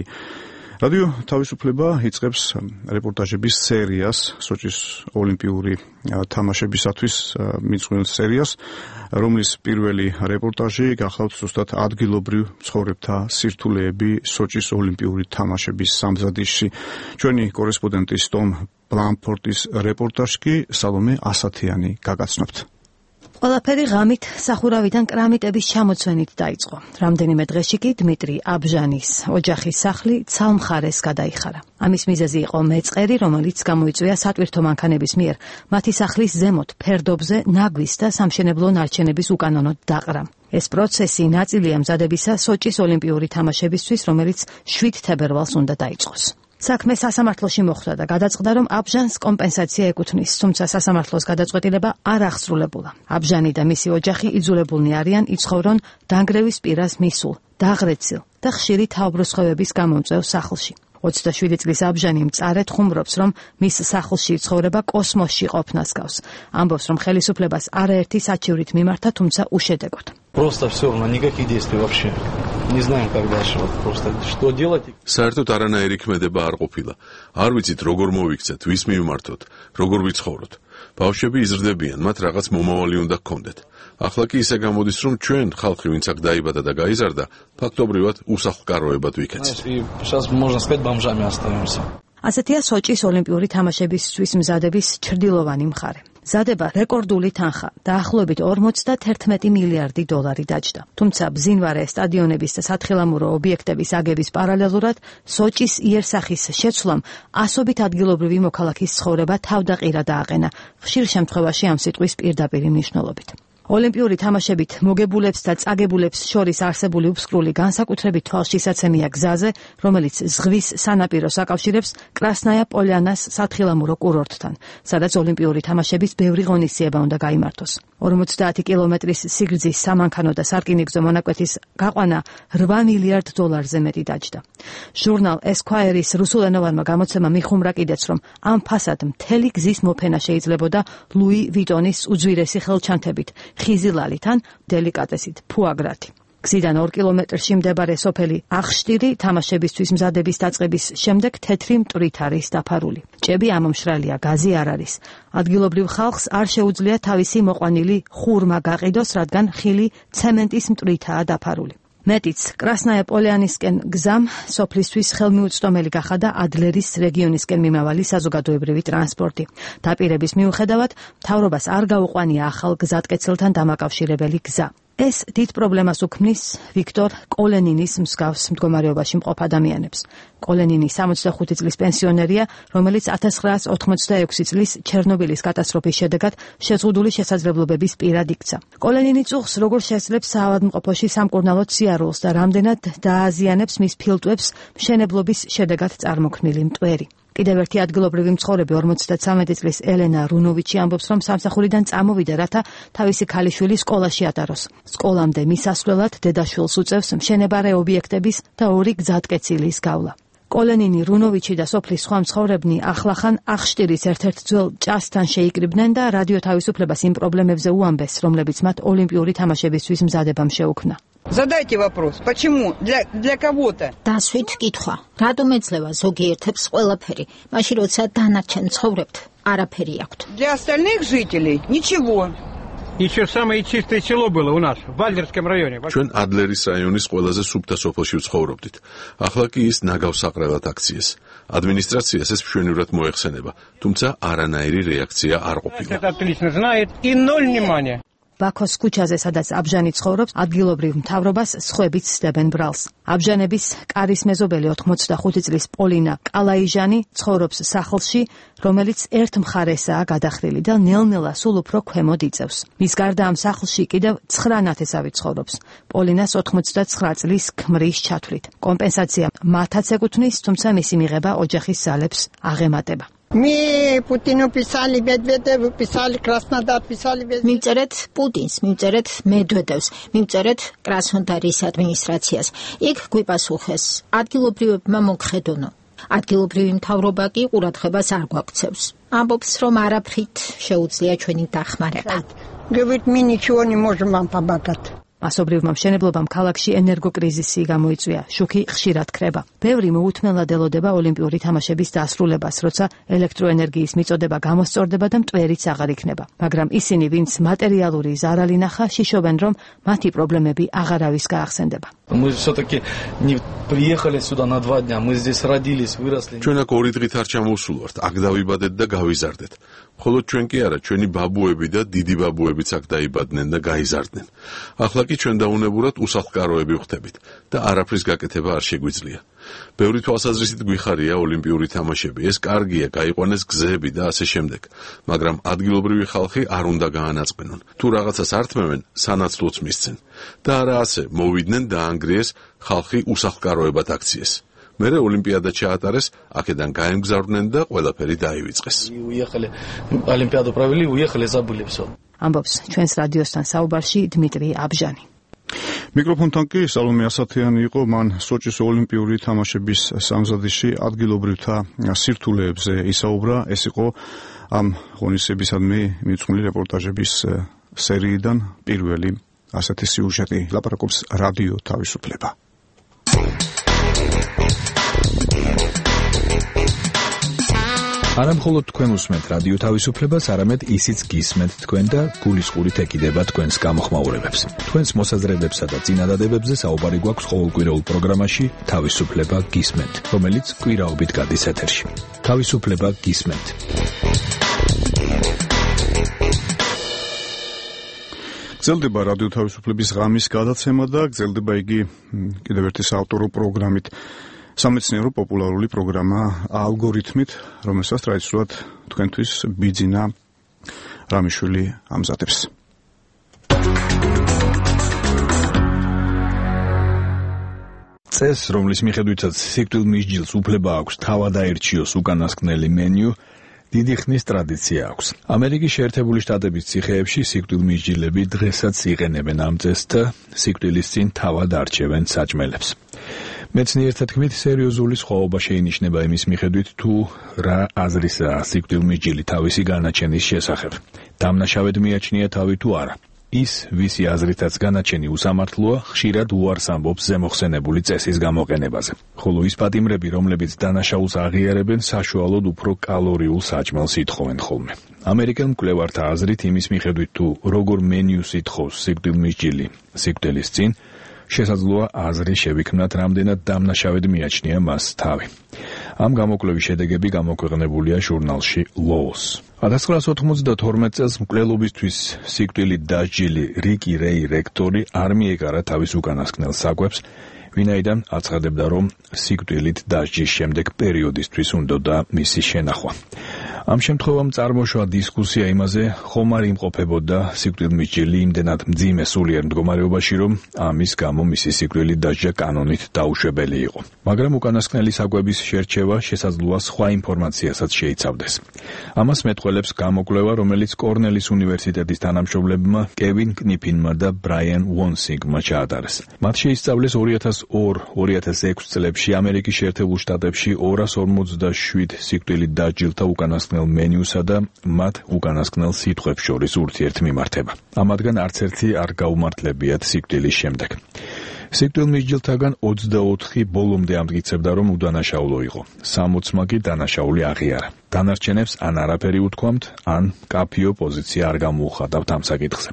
რადიო თავისუფლება იწყებს რეპორტაჟების სერიას, სოჭის ოლიმპიური თამაშებისათვის მიძღვნილ სერიას, რომლის პირველი რეპორტაჟი გახლავთ ზუსტად ადგილობრივ მცხოვრებთა სირთულეები სოჭის ოლიმპიური თამაშების სამზადისში. ჩვენი კორესპონდენტის ტომ ბლანფორტის რეპორტაჟი სალომე ასათიანი გაგაცნობთ. ყველაფერი ღამით სახურავიდან კრამიტების ჩამოცვენით დაიწყო. რამდენიმე დღეში კი დმიტრი აბჟანის ოჯახის სახლი ცალ მხარეს გადაიხარა. ამის მიზეზი იყო მეწყერი, რომელიც გამოიწვია სატვირთო მანქანების მიერ მათი სახლის ზემოთ ფერდობზე ნაგვის და სამშენებლო ნარჩენების უკანონოდ დაყრა. ეს პროცესი ნაწილია მზადებისა სოჭის ოლიმპიური თამაშებისთვის, რომელიც შვიდ თებერვალს უნდა დაიწყოს. საქმე სასამართლოში მოხვდა და გადაწყდა, რომ აბჟანს კომპენსაცია ეკუთვნის, თუმცა სასამართლოს გადაწყვეტილება არ აღსრულებულა. აბჟანი და მისი ოჯახი იძულებულნი არიან იცხოვრონ დანგრევის პირას მისულ, დაღრეცილ და ხშირი თავბრუსხვევების გამომწვევ სახლში. ოცდაშვიდი წლის აბჟანი მწარედ ხუმრობს, რომ მის სახლში ცხოვრება კოსმოსში ყოფნას გავს. ამბობს, რომ ხელისუფლებას არაერთი საჩივრით მიმართა, თუმცა უშედეგოდ. Просто все равно никаких действий вообще. Не знаем, как дальше. Вот просто что делать? საერთოდ არანაირი ქმედება არ ყოფილა. არ ვიცით როგორ მოვიქცეთ, ვის მიმართოთ, როგორ ვიცხოვროთ. ბავშვები იზრდებიან, მათ რაღაც მომავალი უნდა გქონდეთ. ახლა კი ისე გამოდის, რომ ჩვენ, ხალხი, ვინც აქ დაიბადა და გაიზარდა, ფაქტობრივად უსახლკაროებად ვიქეცით. Сейчас можно сказать, бомжами остаемся. ასეთია სოჭის ოლიმპიური თამაშებისთვის მზადების ჩრდილოვანი მხარე. მზადება რეკორდული თანხა, დაახლოებით ორმოცდაერთმეტი მილიარდი დოლარი დაჯდა. თუმცა ბზინვარე სტადიონების და სათხილამურო ობიექტების აგების პარალელურად სოჭის იერსახის შეცვლამ ასობით ადგილობრივი მოქალაქის ცხოვრება თავდაყირა დააყენა, ხშირ შემთხვევაში ამ სიტყვის პირდაპირი მნიშვნელობით. ოლიმპიური თამაშებით მოგებულებს და წაგებულებს შორის არსებული უფსკრული განსაკუთრებით თვალშისაცემია გზაზე, რომელიც ზღვის სანაპიროს აკავშირებს კრასნაია პოლიანას სათხილამურო კურორტთან, სადაც ოლიმპიური თამაშების ბევრი ღონისძიება უნდა გაიმართოს. ორმოცდაათი კილომეტრის სიგრძის სამანქანო და სარკინიგზო მონაკვეთის გაყვანა რვა მილიარდ დოლარზე მეტი დაჯდა. ჟურნალ Esquire-ის რუსულენოვანმა გამოცემამ მიხუმრა კიდეც, რომ ამ ფასად მთელი გზის მოფენა შეიძლებოდა ლუი ვიტონის უძვირესი ხელჩანთებით, ხიზილალითან, დელიკატესით, ფუაგრათი. გზიდან ორ კილომეტრში მდებარე სოფელი აღშტირი თამაშებისთვის მზადების დაწყების შემდეგ თეთრი მტვრით არის დაფარული. ჭები ამომშრალია, გაზი არ არის. ადგილობრივ ხალხს არ შეუძლია თავისი მოყვანილი ხურმა გაყიდოს, რადგან ხილი ცემენტის მტვრითაა დაფარული. მეტიც, კრასნაია პოლიანისკენ გზამ სოფლისთვის ხელმიუწვდომელი გახადა ადლერის რეგიონისკენ მიმავალი საზოგადოებრივი ტრანსპორტი. დაპირების მიუხედავად, მთავრობას არ გაუყვანია ახალ გზატკეცილთან დამაკავშირებელი გზა. ეს დიდ პრობლემას უქმნის ვიქტორ კოლენინის მსგავს მდგომარეობაში მყოფ ადამიანებს. კოლენინი სამოცდახუთი წლის პენსიონერია, რომელიც ათას ცხრაას ოთხმოცდაექვსი წლის ჩერნობილის კატასტროფის შედეგად შეზღუდული შესაძლებლობების პირად იქცა. კოლენინი წუხს, როგორ შეძლებს საავადმყოფოში სამკურნალო სიარულს და რამდენად დააზიანებს მის ფილტვებს მშენებლობის შედეგად წარმოქმნილი მტვერი. კიდევ ერთი ადგილობრივი მცხოვრები ორმოცდათვრამეტი წლის ელენა რუნოვიჩი ამბობს, რომ სამსახურიდან წამოვიდა, რათა თავისი ქალიშვილი სკოლაში ატაროს. სკოლამდე მისასვლელად დედაშვილს უწევს მშენებარე ობიექტების და ორი გზატკეცილის გავლა. კოლენინი, რუნოვიჩი და სოფლის სხვა მცხოვრებნი ახლახან აღშტირის ერთ-ერთ ძველ ჭასთან შეიკრიბნენ და რადიო თავისუფლებას იმ პრობლემებზე უამბეს, რომლებიც მათ ოლიმპიური თამაშებისთვის მზადებამ შეუქმნა. Задайте вопрос, почему для для кого-то? დასვით კითხვა. რატომ ეძლევა ზოგიერთებს ყველაფერი, მაშინ როცა დანარჩენ ცხოვრებთ, არაფერი აქვთ. Для остальных жителей ничего. Еще самое чистое село было у нас в Вальдерском районе. ჩვენ ადლერის რაიონის ყველაზე სუფთა სოფელში ვცხოვრობდით. ახლა კი ის ნაგავსაყრელად აქციეს. ადმინისტრაციას ეს მშვენივრად მოეხსენება, თუმცა არანაირი რეაქცია არ ყოფილა. Это отлично знает и ноль внимания. ბაქოს ქუჩაზე, სადაც აბჟანი ცხოვრობს, ადგილობრივ მთავრობას სხვებიც სდებენ ბრალს. აბჟანების კარის მეზობელი ოთხმოცდახუთი წლის პოლინა კალაიჟანი ცხოვრობს სახლში, რომელიც ერთ მხარესაა გადახრილი და ნელ-ნელა სულ უფრო ქვემოთ იწევს. მის გარდა ამ სახლში კიდევ ცხრა ნათესავი ცხოვრობს. პოლინას ოთხმოცდაცხრა წლის ქმრის ჩათვლით. კომპენსაცია მათაც ეკუთვნის, თუმცა მისი მიღება ოჯახის ძალებს აღემატება. Мы Путину писали, Медведеву писали, Краснодар писали. მივწერეთ პუტინს, მივწერეთ მედვედევს, მივწერეთ კრასნოდარის ადმინისტრაციას. იქ გვიპასუხეს, ადგილობრივებმა მოგხედონო. ადგილობრივი მთავრობა კი ყურადღებას არ გვაქცევს. ამბობს, რომ არაფრით შეუძლია ჩვენი დახმარება. Говорит, мы ничего не можем вам помогать. მასობრივმა მშენებლობამ ქალაქში ენერგოკრიზისი გამოიწვია, შუქი ხშირად ქრება. ბევრი მოუთმენლად ელოდება ოლიმპიური თამაშების დასრულებას, როცა ელექტროენერგიის მიწოდება გამოსწორდება და მტვერიც აღარ იქნება. მაგრამ ისინი, ვინც მატერიალური ზარალი ნახა, შიშობენ, რომ მათი პრობლემები აღარავის გაახსენდება. Мы все-таки не приехали сюда на два дня. Мы здесь родились, выросли. ჩვენ აქ ორი დღით არ ჩამოვსულვართ, აქ დავიბადეთ და გავიზარდეთ. ხოლო ჩვენ კი არა, ჩვენი ბაბუები და დიდი ბაბუებიც აქ დაიბადნენ და გაიზარდნენ. ახლა კი ჩვენ დაუნებურად უსახლკაროები ვხდებით და არაფრის გაკეთება არ შეგვიძლია. ბევრი თვალსაზრისით გვიხარია ოლიმპიური თამაშები, ეს კარგია, გაიყვანეს გზები და ასე შემდეგ, მაგრამ ადგილობრივი ხალხი არ უნდა გაანაწყენონ. თუ რაღაცას ართმევენ, სანაცვლოც მისცენ. და არა ასე, მოვიდნენ და ანგრიეს ხალხი უსახლკაროებად აქციეს. მერე ოლიმპიადა ჩაატარეს, აქედან გაემგზავრნენ და ყველაფერი დაივიწყეს. Уехали, Олимпиаду провели, уехали, забыли всё. ამბობს ჩვენს რადიოსთან საუბარში დმიტრი აბჟანი. მიკროფონთან კი სალომე ასათიანი იყო, მან სოჭის ოლიმპიური თამაშების სამზადისში ადგილობრივთა სირთულეებზე ისაუბრა. ეს იყო ამ ღონისძიებისადმი მიუძღვნილი რეპორტაჟების სერიიდან პირველი ასეთი სიუჟეტი. ლაპარაკობს რადიო თავისუფლება. არა მხოლოდ თქვენ უსმენთ რადიო თავისუფლებას, არამედ ისიც გისმენთ თქვენ და გულისხმობით ეკიდება თქვენს გამოხმაურებებს. თქვენს მოსაზრებებსა და წინადადებებზე საუბარი გვაქვს ყოველკვირეულ პროგრამაში თავისუფლება გისმენთ, რომელიც კვირაობით გადის ეთერში. თავისუფლება გისმენთ. გრძელდება რადიო თავისუფლების ღამის გადაცემა და გრძელდება იგი კიდევ ერთი საავტორო პროგრამით. სამეცნიერო პოპულარული პროგრამა ალგორითმით, რომელსაც ტრადიციულად თქვენთვის ბიძინა რამიშვილი ამზადებს. წესს, რომლის მიხედვითაც სიკვდილ მისჯილს უფლება აქვს თავად აერჩიოს უკანასკნელი მენიუ, დიდი ხნის ტრადიცია აქვს. ამერიკის შეერთებული შტატების ციხეებში სიკვდილ მისჯილები დღესაც იყენებენ ამ წესს და სიკვდილის წინ თავად არჩევენ საჭმელებს. მეცნიერთა თქმით, სერიოზული სხვაობა შეინიშნება იმის მიხედვით, თუ რა აზრისაა სიკვდილ მისჯილი თავისი განაჩენის შესახებ. დამნაშავედ მიაჩნია თავი თუ არა. ის, ვისი აზრითაც განაჩენი უსამართლოა, ხშირად უარს ამბობს ზემოხსენებული წესის გამოყენებაზე. ხოლო ის პატიმრები, რომლებიც დანაშაულს აღიარებენ, საშუალოდ უფრო კალორიულ საჭმელს ითხოვენ ხოლმე. ამერიკელ მკვლევართა აზრით, იმის მიხედვით, თუ როგორ მენიუს ითხოვს სიკვდილ მისჯილი სიკვდილის წინ, შესაძლოა აზრი შევიქმნათ, რამდენად დამნაშავედ მიაჩნია მას თავი. ამ გამოკვლევის შედეგები გამოქვეყნებულია ჟურნალში Laws. ათას ცხრაასი ოთხმოცდათორმეტ წელს მკვლელობისთვის სიკვდილით დასჯილი რიკი რეი რექტორი არ მიეკარა თავის უკანასკნელ საკვებს, ვინაიდან აცხადებდა, რომ სიკვდილით დასჯის შემდეგ პერიოდისთვის უნდოდა მისი შენახვა. ამ შემთხვევამ წარმოშვა დისკუსია იმაზე, ხომ არ იმყოფებოდა სიკვდილმისჯილი იმდენად მძიმე სულიერ მდგომარეობაში, რომ ამის გამო მისი სიკვდილით დასჯა კანონით დაუშვებელი იყო. მაგრამ უკანასკნელი საკვების შერჩევა შესაძლოა სხვა ინფორმაციასაც შეიცავდეს. ამას მეტყველებს გამოკვლევა, რომელიც კორნელის უნივერსიტეტის თანამშრომლებმა კევინ კნიფინმა და ბრაიან ვონსინგმა ჩაატარეს. მათ შეისწავლეს ორი ათას ორ ორი ათას ექვსი წლებში ამერიკის შეერთებულ შტატებში ორას ორმოცდაშვიდ სიკვდილით დასჯილთა უკანასკნელ მენიუსა და მათ უკანასკნელ სიტყვებს შორის ურთიერთმიმართება. ამათგან არც ერთი არ გაუმართლებიათ სიკვდილის შემდეგ. სიკვდილმისჯილთაგან ოცდაოთხი ბოლომდე ამტკიცებდა, რომ უდანაშაულო იყო. სამოცმა კი დანაშაული აღიარა. დანარჩენებს ან არაფერი უთქვამთ, ან კაფიო პოზიცია არ გამოუხატავთ ამ საკითხზე.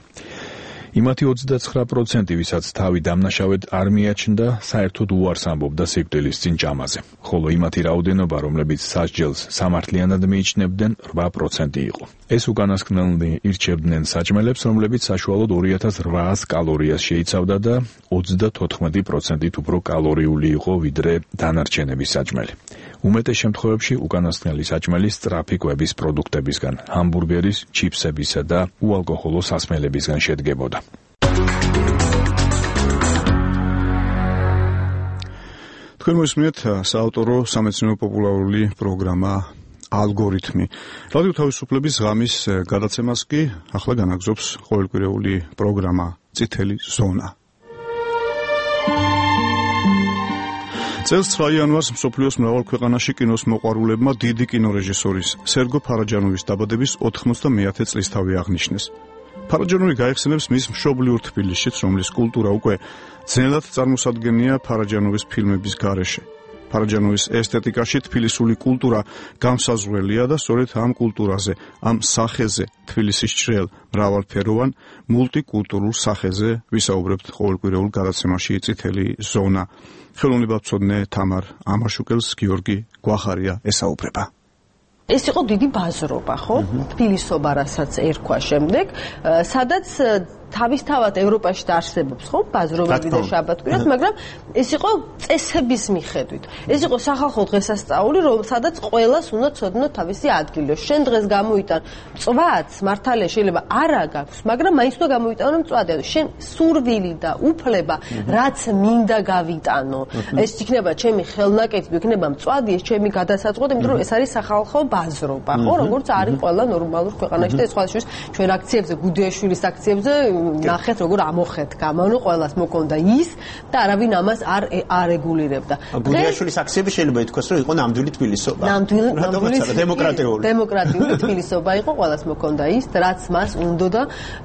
იმათი ოცდაცხრა პროცენტი, ვისაც თავი დამნაშავედ არ მიაჩნდა, საერთოდ უარს ამბობდა სიკვდილის წინ ჭამაზე. ხოლო იმათი რაოდენობა, რომლებიც სასჯელს სამართლიანად მიიჩნევდნენ, რვა პროცენტი იყო. ეს უკანასკნელნი ირჩევდნენ საჭმელებს, რომლებიც საშუალოდ ორი ათას რვაას კალორიას შეიცავდა და ოცდათოთხმეტი პროცენტით უფრო კალორიული იყო, ვიდრე დანარჩენების საჭმელი. უმეტეს შემთხვევებში უკანასკნელი საჭმელი სწრაფი კვების პროდუქტებისგან, ჰამბურგერის, ჩიფსებისა და უალკოჰოლო სასმელებისგან შედგებოდა. თქვენ მოსმენთ საავტორო სამეცნიერო პოპულარული პროგრამა ალგორითმი. რადიო თავისუფლების ღამის გადაცემას კი ახლა განაგზობს ყოველკვირეული პროგრამა წითელი ზონა. წელს ცხრა იანვარს მსოფლიოს მრავალ ქვეყანაში კინოს მოყვარულებმა დიდი კინორეჟისორის სერგო ფარაჯანოვის დაბადების ოთხმოცდამეათე წლისთავი აღნიშნეს. ფარაჯანოვი გაიხსენებს მის მშობლიურ თბილისშიც, რომლის კულტურა უკვე ძნელად წარმოსადგენია ფარაჯანოვის ფილმების გარეშე. ფარაჯანოვის ესთეტიკაში თბილისური კულტურა განსაზღვრელია და სწორედ ამ კულტურაზე, ამ სახეზე, თბილისის ჭრელ, მრავალფეროვან, მულტიკულტურულ სახეზე ვისაუბრებთ ყოველკვირეულ გადაცემაში წითელი ზონა. ხელოვნებაცოდნე თამარ ამაშუკელს გიორგი გვახარია ესაუბრება. ეს იყო დიდი ბაზრობა, ხო? თბილისობა, რასაც ერქვა შემდეგ, სადაც თავისთავად ევროპაში დაარსებობს, ხო? ბაზრობები და შაბათკვირას, მაგრამ ეს იყო წესების მიხედვით. ეს იყო სახალხო დღესასწაული, რომ სადაც ყველას უნდა ცოდნო თავისი ადგილი. შენ დღეს გამოიტან მწვადს, მართალია შეიძლება არა გაქვს, მაგრამ მაინც უნდა გამოიტანო მწვადი. შენ სურვილი და უფლება, რაც მინდა გავიტანო. ეს იქნება ჩემი ხელნაკეთი, იქნება მწვადი, ეს ჩემი გადასაწყვეტი, იმიტომ რომ ეს არის სახალხო ბაზრობა, ხო? როგორც არის ყველა ნორმალურ ქვეყანაში და ეს სხვადასხვა ჩვენ აქციებზე, გუდიაშვილის აქციებზე ნახეთ როგორ ამოხეთ გამანო ყველას მოკონდა ის და არავინ ამას არ არეგულირებდა. გუდიაშვილის აქციები შეიძლება ითქვას რომ იყო ნამდვილი თბილისობა. ნამდვილი დემოკრატიული დემოკრატიული თბილისობა იყო ყველას მოკონდა ის რაც მას უნდოდა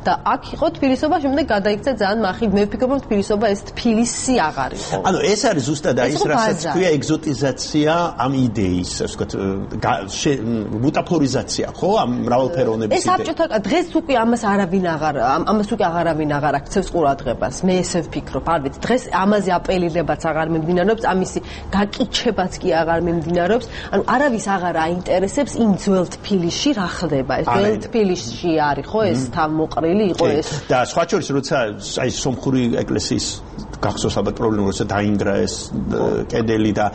და აქ იყო თბილისობა შემდეგ გადაიქცა ძალიან მახიდ მე ვფიქრობ რომ თბილისობა ეს თბილისი აღარ იყო. ანუ ეს არის ზუსტად ის რასაც ქვია ეგზოტიზაცია ამ იდეის ასე ვთქვათ მუტაფორიზაცია ხო ამ მრავალფეროვნების იდეა. ეს საბჭოთა დღეს უკვე ამას არავინ აღარ ამას უკვე აღარავინ აღარ აქცევს ყურადღებას. მე ესე ვფიქრობ, არ ვიცი, დღეს ამაზე აპელირებაც აღარ მიმდინარეობს, ამისი გაკიჩებაც კი აღარ მიმდინარეობს. ანუ არავის აღარ აინტერესებს იმ ძველ თბილისში რა ხდება. ეს ძველ თბილისში არის ხო ეს თავმოყრილი იყო ეს. და სხვა შორის როცა აი სომხური ეკლესიის გახსოვს ალბათ პრობლემა როცა დაინგრა ეს კედელი და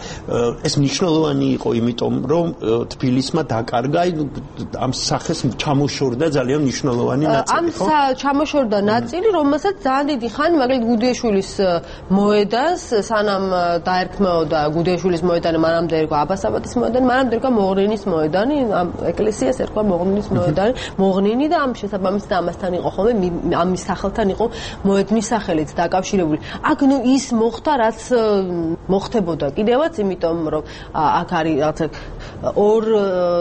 ეს მნიშვნელოვანი იყო იმიტომ რომ თბილისმა დაკარგა ამ სახეს ჩამოშორდა ძალიან მნიშვნელოვანი ნაწილი ხო? ამ ჩამოშორდა ნაწილი რომელსაც ძალიან დიდი ხანი მაგალითად გუდიაშვილის მოედანს სანამ დაერქმეოდა გუდიაშვილის მოედანი მანამდე ერქვა აბასაბადის მოედანი მანამდე ერქვა მოღნინის მოედანი ამ ეკლესიას ერქვა მოღნინის მოედანი მოღნინი და ამ შესაბამისად ამასთან იყო ხოლმე ამის სახელთან იყო მოედნის სახელით დაკავშირებული. აქ ნუ ის მოხდა რაც მოხდებოდა კიდევაც იმიტომ რომ აქ არის რაღაცა ორ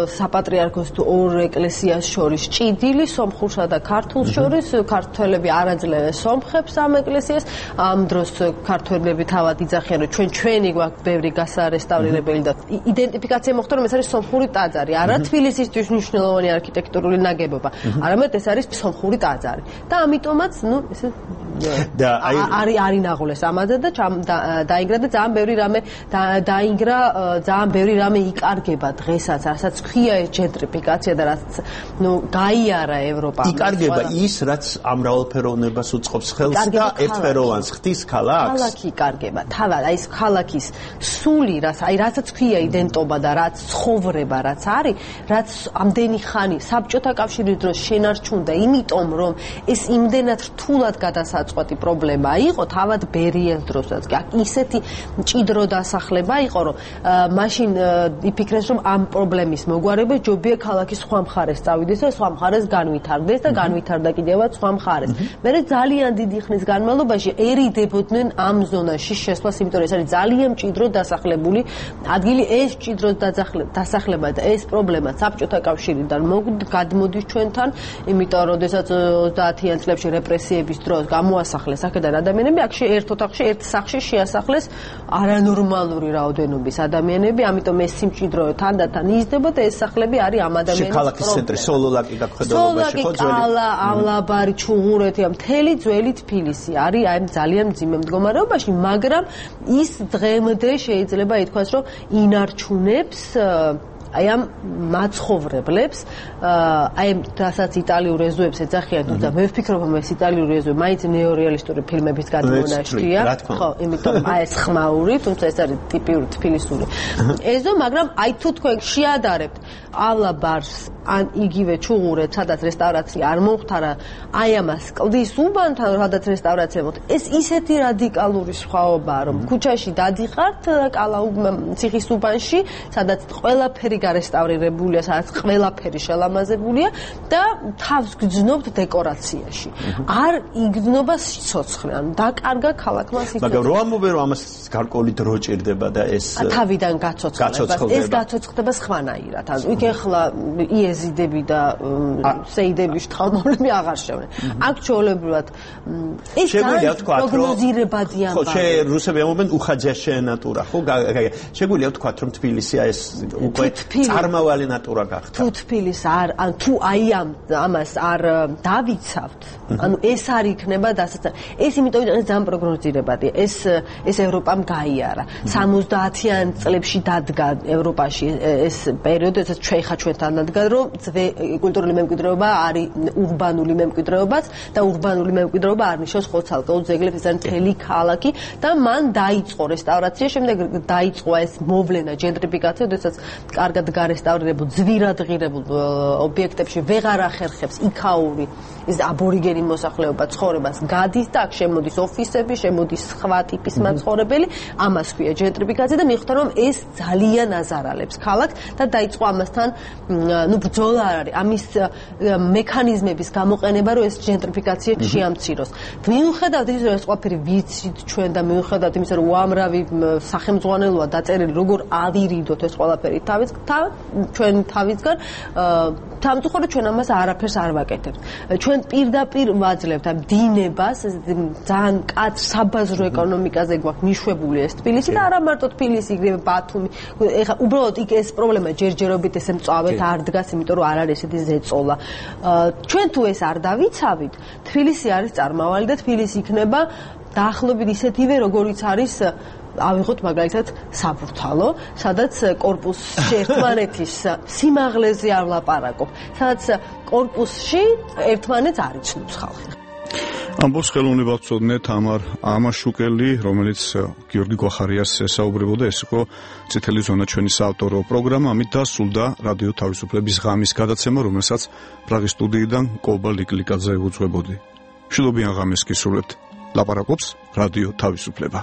საპატრიარქოს თუ ორ ეკლესიას შორის ჭიდილი სომხურსა და ქართულს შორის ქართველები არაძლევენ სომხებს ამ ეკლესიას ამ დროს ქართველები თავად იძახიან რომ ჩვენ ჩვენი გვაქვს ბევრი გასარესტავრირებელი და იდენტიფიკაცია მოხდა რომ ეს არის სომხური ტაძარი არა თბილისისთვის მნიშვნელოვანი არქიტექტურული ნაგებობა არამედ ეს არის სომხური ტაძარი და ამიტომაც ნუ ესე და აი არის არინაღოლეს ამაზე და დაინგრა და ძალიან ბევრი რამე დაინგრა ძალიან ბევრი რამე იკარგება დღესაც რასაც ქვია ეს ჯენტრიფიკაცია და რაც ნუ გაიარა ევროპა იკარგება ის რაც ამ მრავალფეროვნებას უწყობს ხელს და ერთფეროვანს ხდის ქალაქს ქალაქი იკარგება თავად აი ეს ქალაქის სული რაც აი რასაც ქვია იდენტობა და რაც ცხოვრება რაც არის რაც ამდენი ხანი საბჭოთა კავშირის დროს შენარჩუნდა იმიტომ რომ ეს იმდენად რთულად გადასაწყვეტი პრობლემა იყო თავად ბერიეს დროსაც კი ისეთი მჭიდრო დასახლება იყო რომ მაშინ იფიქრეს რომ ამ პრობლემის მოგვარება ჯობია ქალაქის სხვა მხარეს წავიდეს და სხვა მხარეს განვითარდეს და განვითარდა კიდევაც სხვა მხარეს. მე ძალიან დიდი ხნის განმავლობაში ერიდებოდნენ ამ ზონაში შესვლას, იმიტომ რომ ეს არის ძალიან მჭიდრო დასახლებული ადგილი, ეს მჭიდრო დასახლება და ეს პრობლემა საბჭოთა კავშირიდან გადმოდის ჩვენთან, იმიტომ რომ როდესაც ოცდაათიან წლებში რეპრესიების დროს გამოასახლეს აქედან ადამიანები, აქ ერთ ოთახში, ერთ სახლში შეასახლეს არანორმალური რაოდენობის ადამიანები, ამიტომ ეს სიმჭიდრო თანდათან იზრდება და ეს სახლები არის ამ ადამიანების ქალაქის ცენტრი სოლოლაკი გაქვედოლობაში ხო ძველი ალა ავლაბარი ჩუღურეთი ამ მთელი ძველი თბილისი არის აი ძალიან მძიმე მდგომარეობაში მაგრამ ის დღემდე შეიძლება ითქვას რომ ინარჩუნებს აი ამ მაცხოვრებლებს აი რასაც იტალიურ ეზოებს ეძახიან და მე ვფიქრობ რომ ეს იტალიურ ეზოები მაინც ნეორეალისტური ფილმების გადმონაშთია ხო იმიტომ აი ეს ხმაური თუმცა ეს არის ტიპიური თბილისური ეზო მაგრამ აი თუ თქვენ შეადარებთ ავლაბარს ან იგივე ჩუღურეთ სადაც რესტავრაცია არ მომხდარა აი ამას კლდის უბანთან სადაც რესტავრაცია მოხდა ეს ისეთი რადიკალური სხვაობაა რომ ქუჩაში დადიხართ კალაუ ციხის უბანში სადაც ყველაფერი გარესტავრირებულია სადაც ყველაფერი შელამაზებულია და თავს გძნობთ დეკორაციაში არ იგრძნობა სიცოცხლე ან დაკარგა ქალაქმა სიცოცხლე მაგრამ რო ამბობენ რომ ამას გარკვეული დრო ჭირდება და ეს თავიდან გაცოცხლება ეს გაცოცხლება სხვანაირად ანუ იქ ახლა იეზიდები და სეიდების შთამომავლები აღარ შევნენ აქ ჩვეულებრივად ეს შეგვიძლია ვთქვათ რომ პროგნოზირებადი ამბავი ხო შე რუსები ამბობენ უხაძიაშე ნატურა ხო შეგვიძლია ვთქვათ რომ თბილისი ეს უკვე წარმავალი ნატურა გახდა თუ თბილის არ ან თუ აი ამ ამას არ დავიცავთ ანუ ეს არ იქნება დასაწყ ეს იმიტომ რომ ეს ძალიან პროგნოზირებადია ეს ეს ევროპამ გაიარა სამოცდაათიან წლებში დადგა ევროპაში ეს პერიოდი როდესაც ჩვენ ხა ჩვენთან დადგა რომ კულტურული მემკვიდრეობა არის ურბანული მემკვიდრეობაც და ურბანული მემკვიდრეობა არ ნიშნავს ხოცალკეულ ძეგლებს ეს არის მთელი ქალაქი და მან დაიწყო რესტავრაცია შემდეგ დაიწყო ეს მოვლენა ჯენტრიფიკაცია როდესაც კარგად გარესტავრირებულ ძვირად ღირებულ ობიექტებში ვეღარ ახერხებს იქაური ეს აბორიგენი მოსახლეობა ცხოვრებას გადის და აქ შემოდის ოფისები, შემოდის სხვა ტიპის მაცხოვრებელი, ამას ქვია ჯენტრიფიკაცია და მიხვდა რომ ეს ძალიან აზარალებს ქალაქს და დაიწყო ამასთან ამასთან ნუ ბრძოლა არ არის ამის მექანიზმების გამოყენება რომ ეს ჟენტრიფიკაცია შეამციროს მიუხედავად იმისა რომ ეს ყველაფერი ვიცით ჩვენ და მიუხედავად იმისა რომ უამრავი სახელმძღვანელოა დაწერილი როგორ ავირიდოთ ეს ყველაფერი თავის ჩვენ თავისგან თამთუხორო ჩვენ ამას არაფერს არ ვაკეთებთ ჩვენ პირდაპირ ვაძლევთ ამ დინებას ძალიან კაც საბაზრო ეკონომიკაზე გვაქვს მიშვებული ეს თბილისი და არა მარტო თბილისი იგივე ბათუმი ეხლა უბრალოდ იქ ეს პრობლემა ჯერჯერობით ესე მწვავედ არ დგას იმიტომ რომ არ არის ესეთი ზეწოლა ჩვენ თუ ეს არ დავიცავით თბილისი არის წარმავალი და თბილისი იქნება დაახლოებით ისეთივე როგორიც არის ავიღოთ მაგალითად საბურთალო, სადაც კორპუსში ერთმანეთის სიმაღლეზე არ ვლაპარაკობ, სადაც კორპუსში ერთმანეთს არ იცნობს ხალხი. ამბობს ხელოვნებად მცოდნე თამარ ამაშუკელი, რომელიც გიორგი გვახარიას ესაუბრებოდა, ეს იყო წითელი ზონა ჩვენი საავტორო პროგრამა, ამით დასრულდა რადიო თავისუფლების ღამის გადაცემა, რომელსაც პრაღის სტუდიიდან კობა ლიკლიკაძე უძღვებოდი. მშვიდობიან ღამეს გისურვებთ. ლაპარაკობს რადიო თავისუფლება.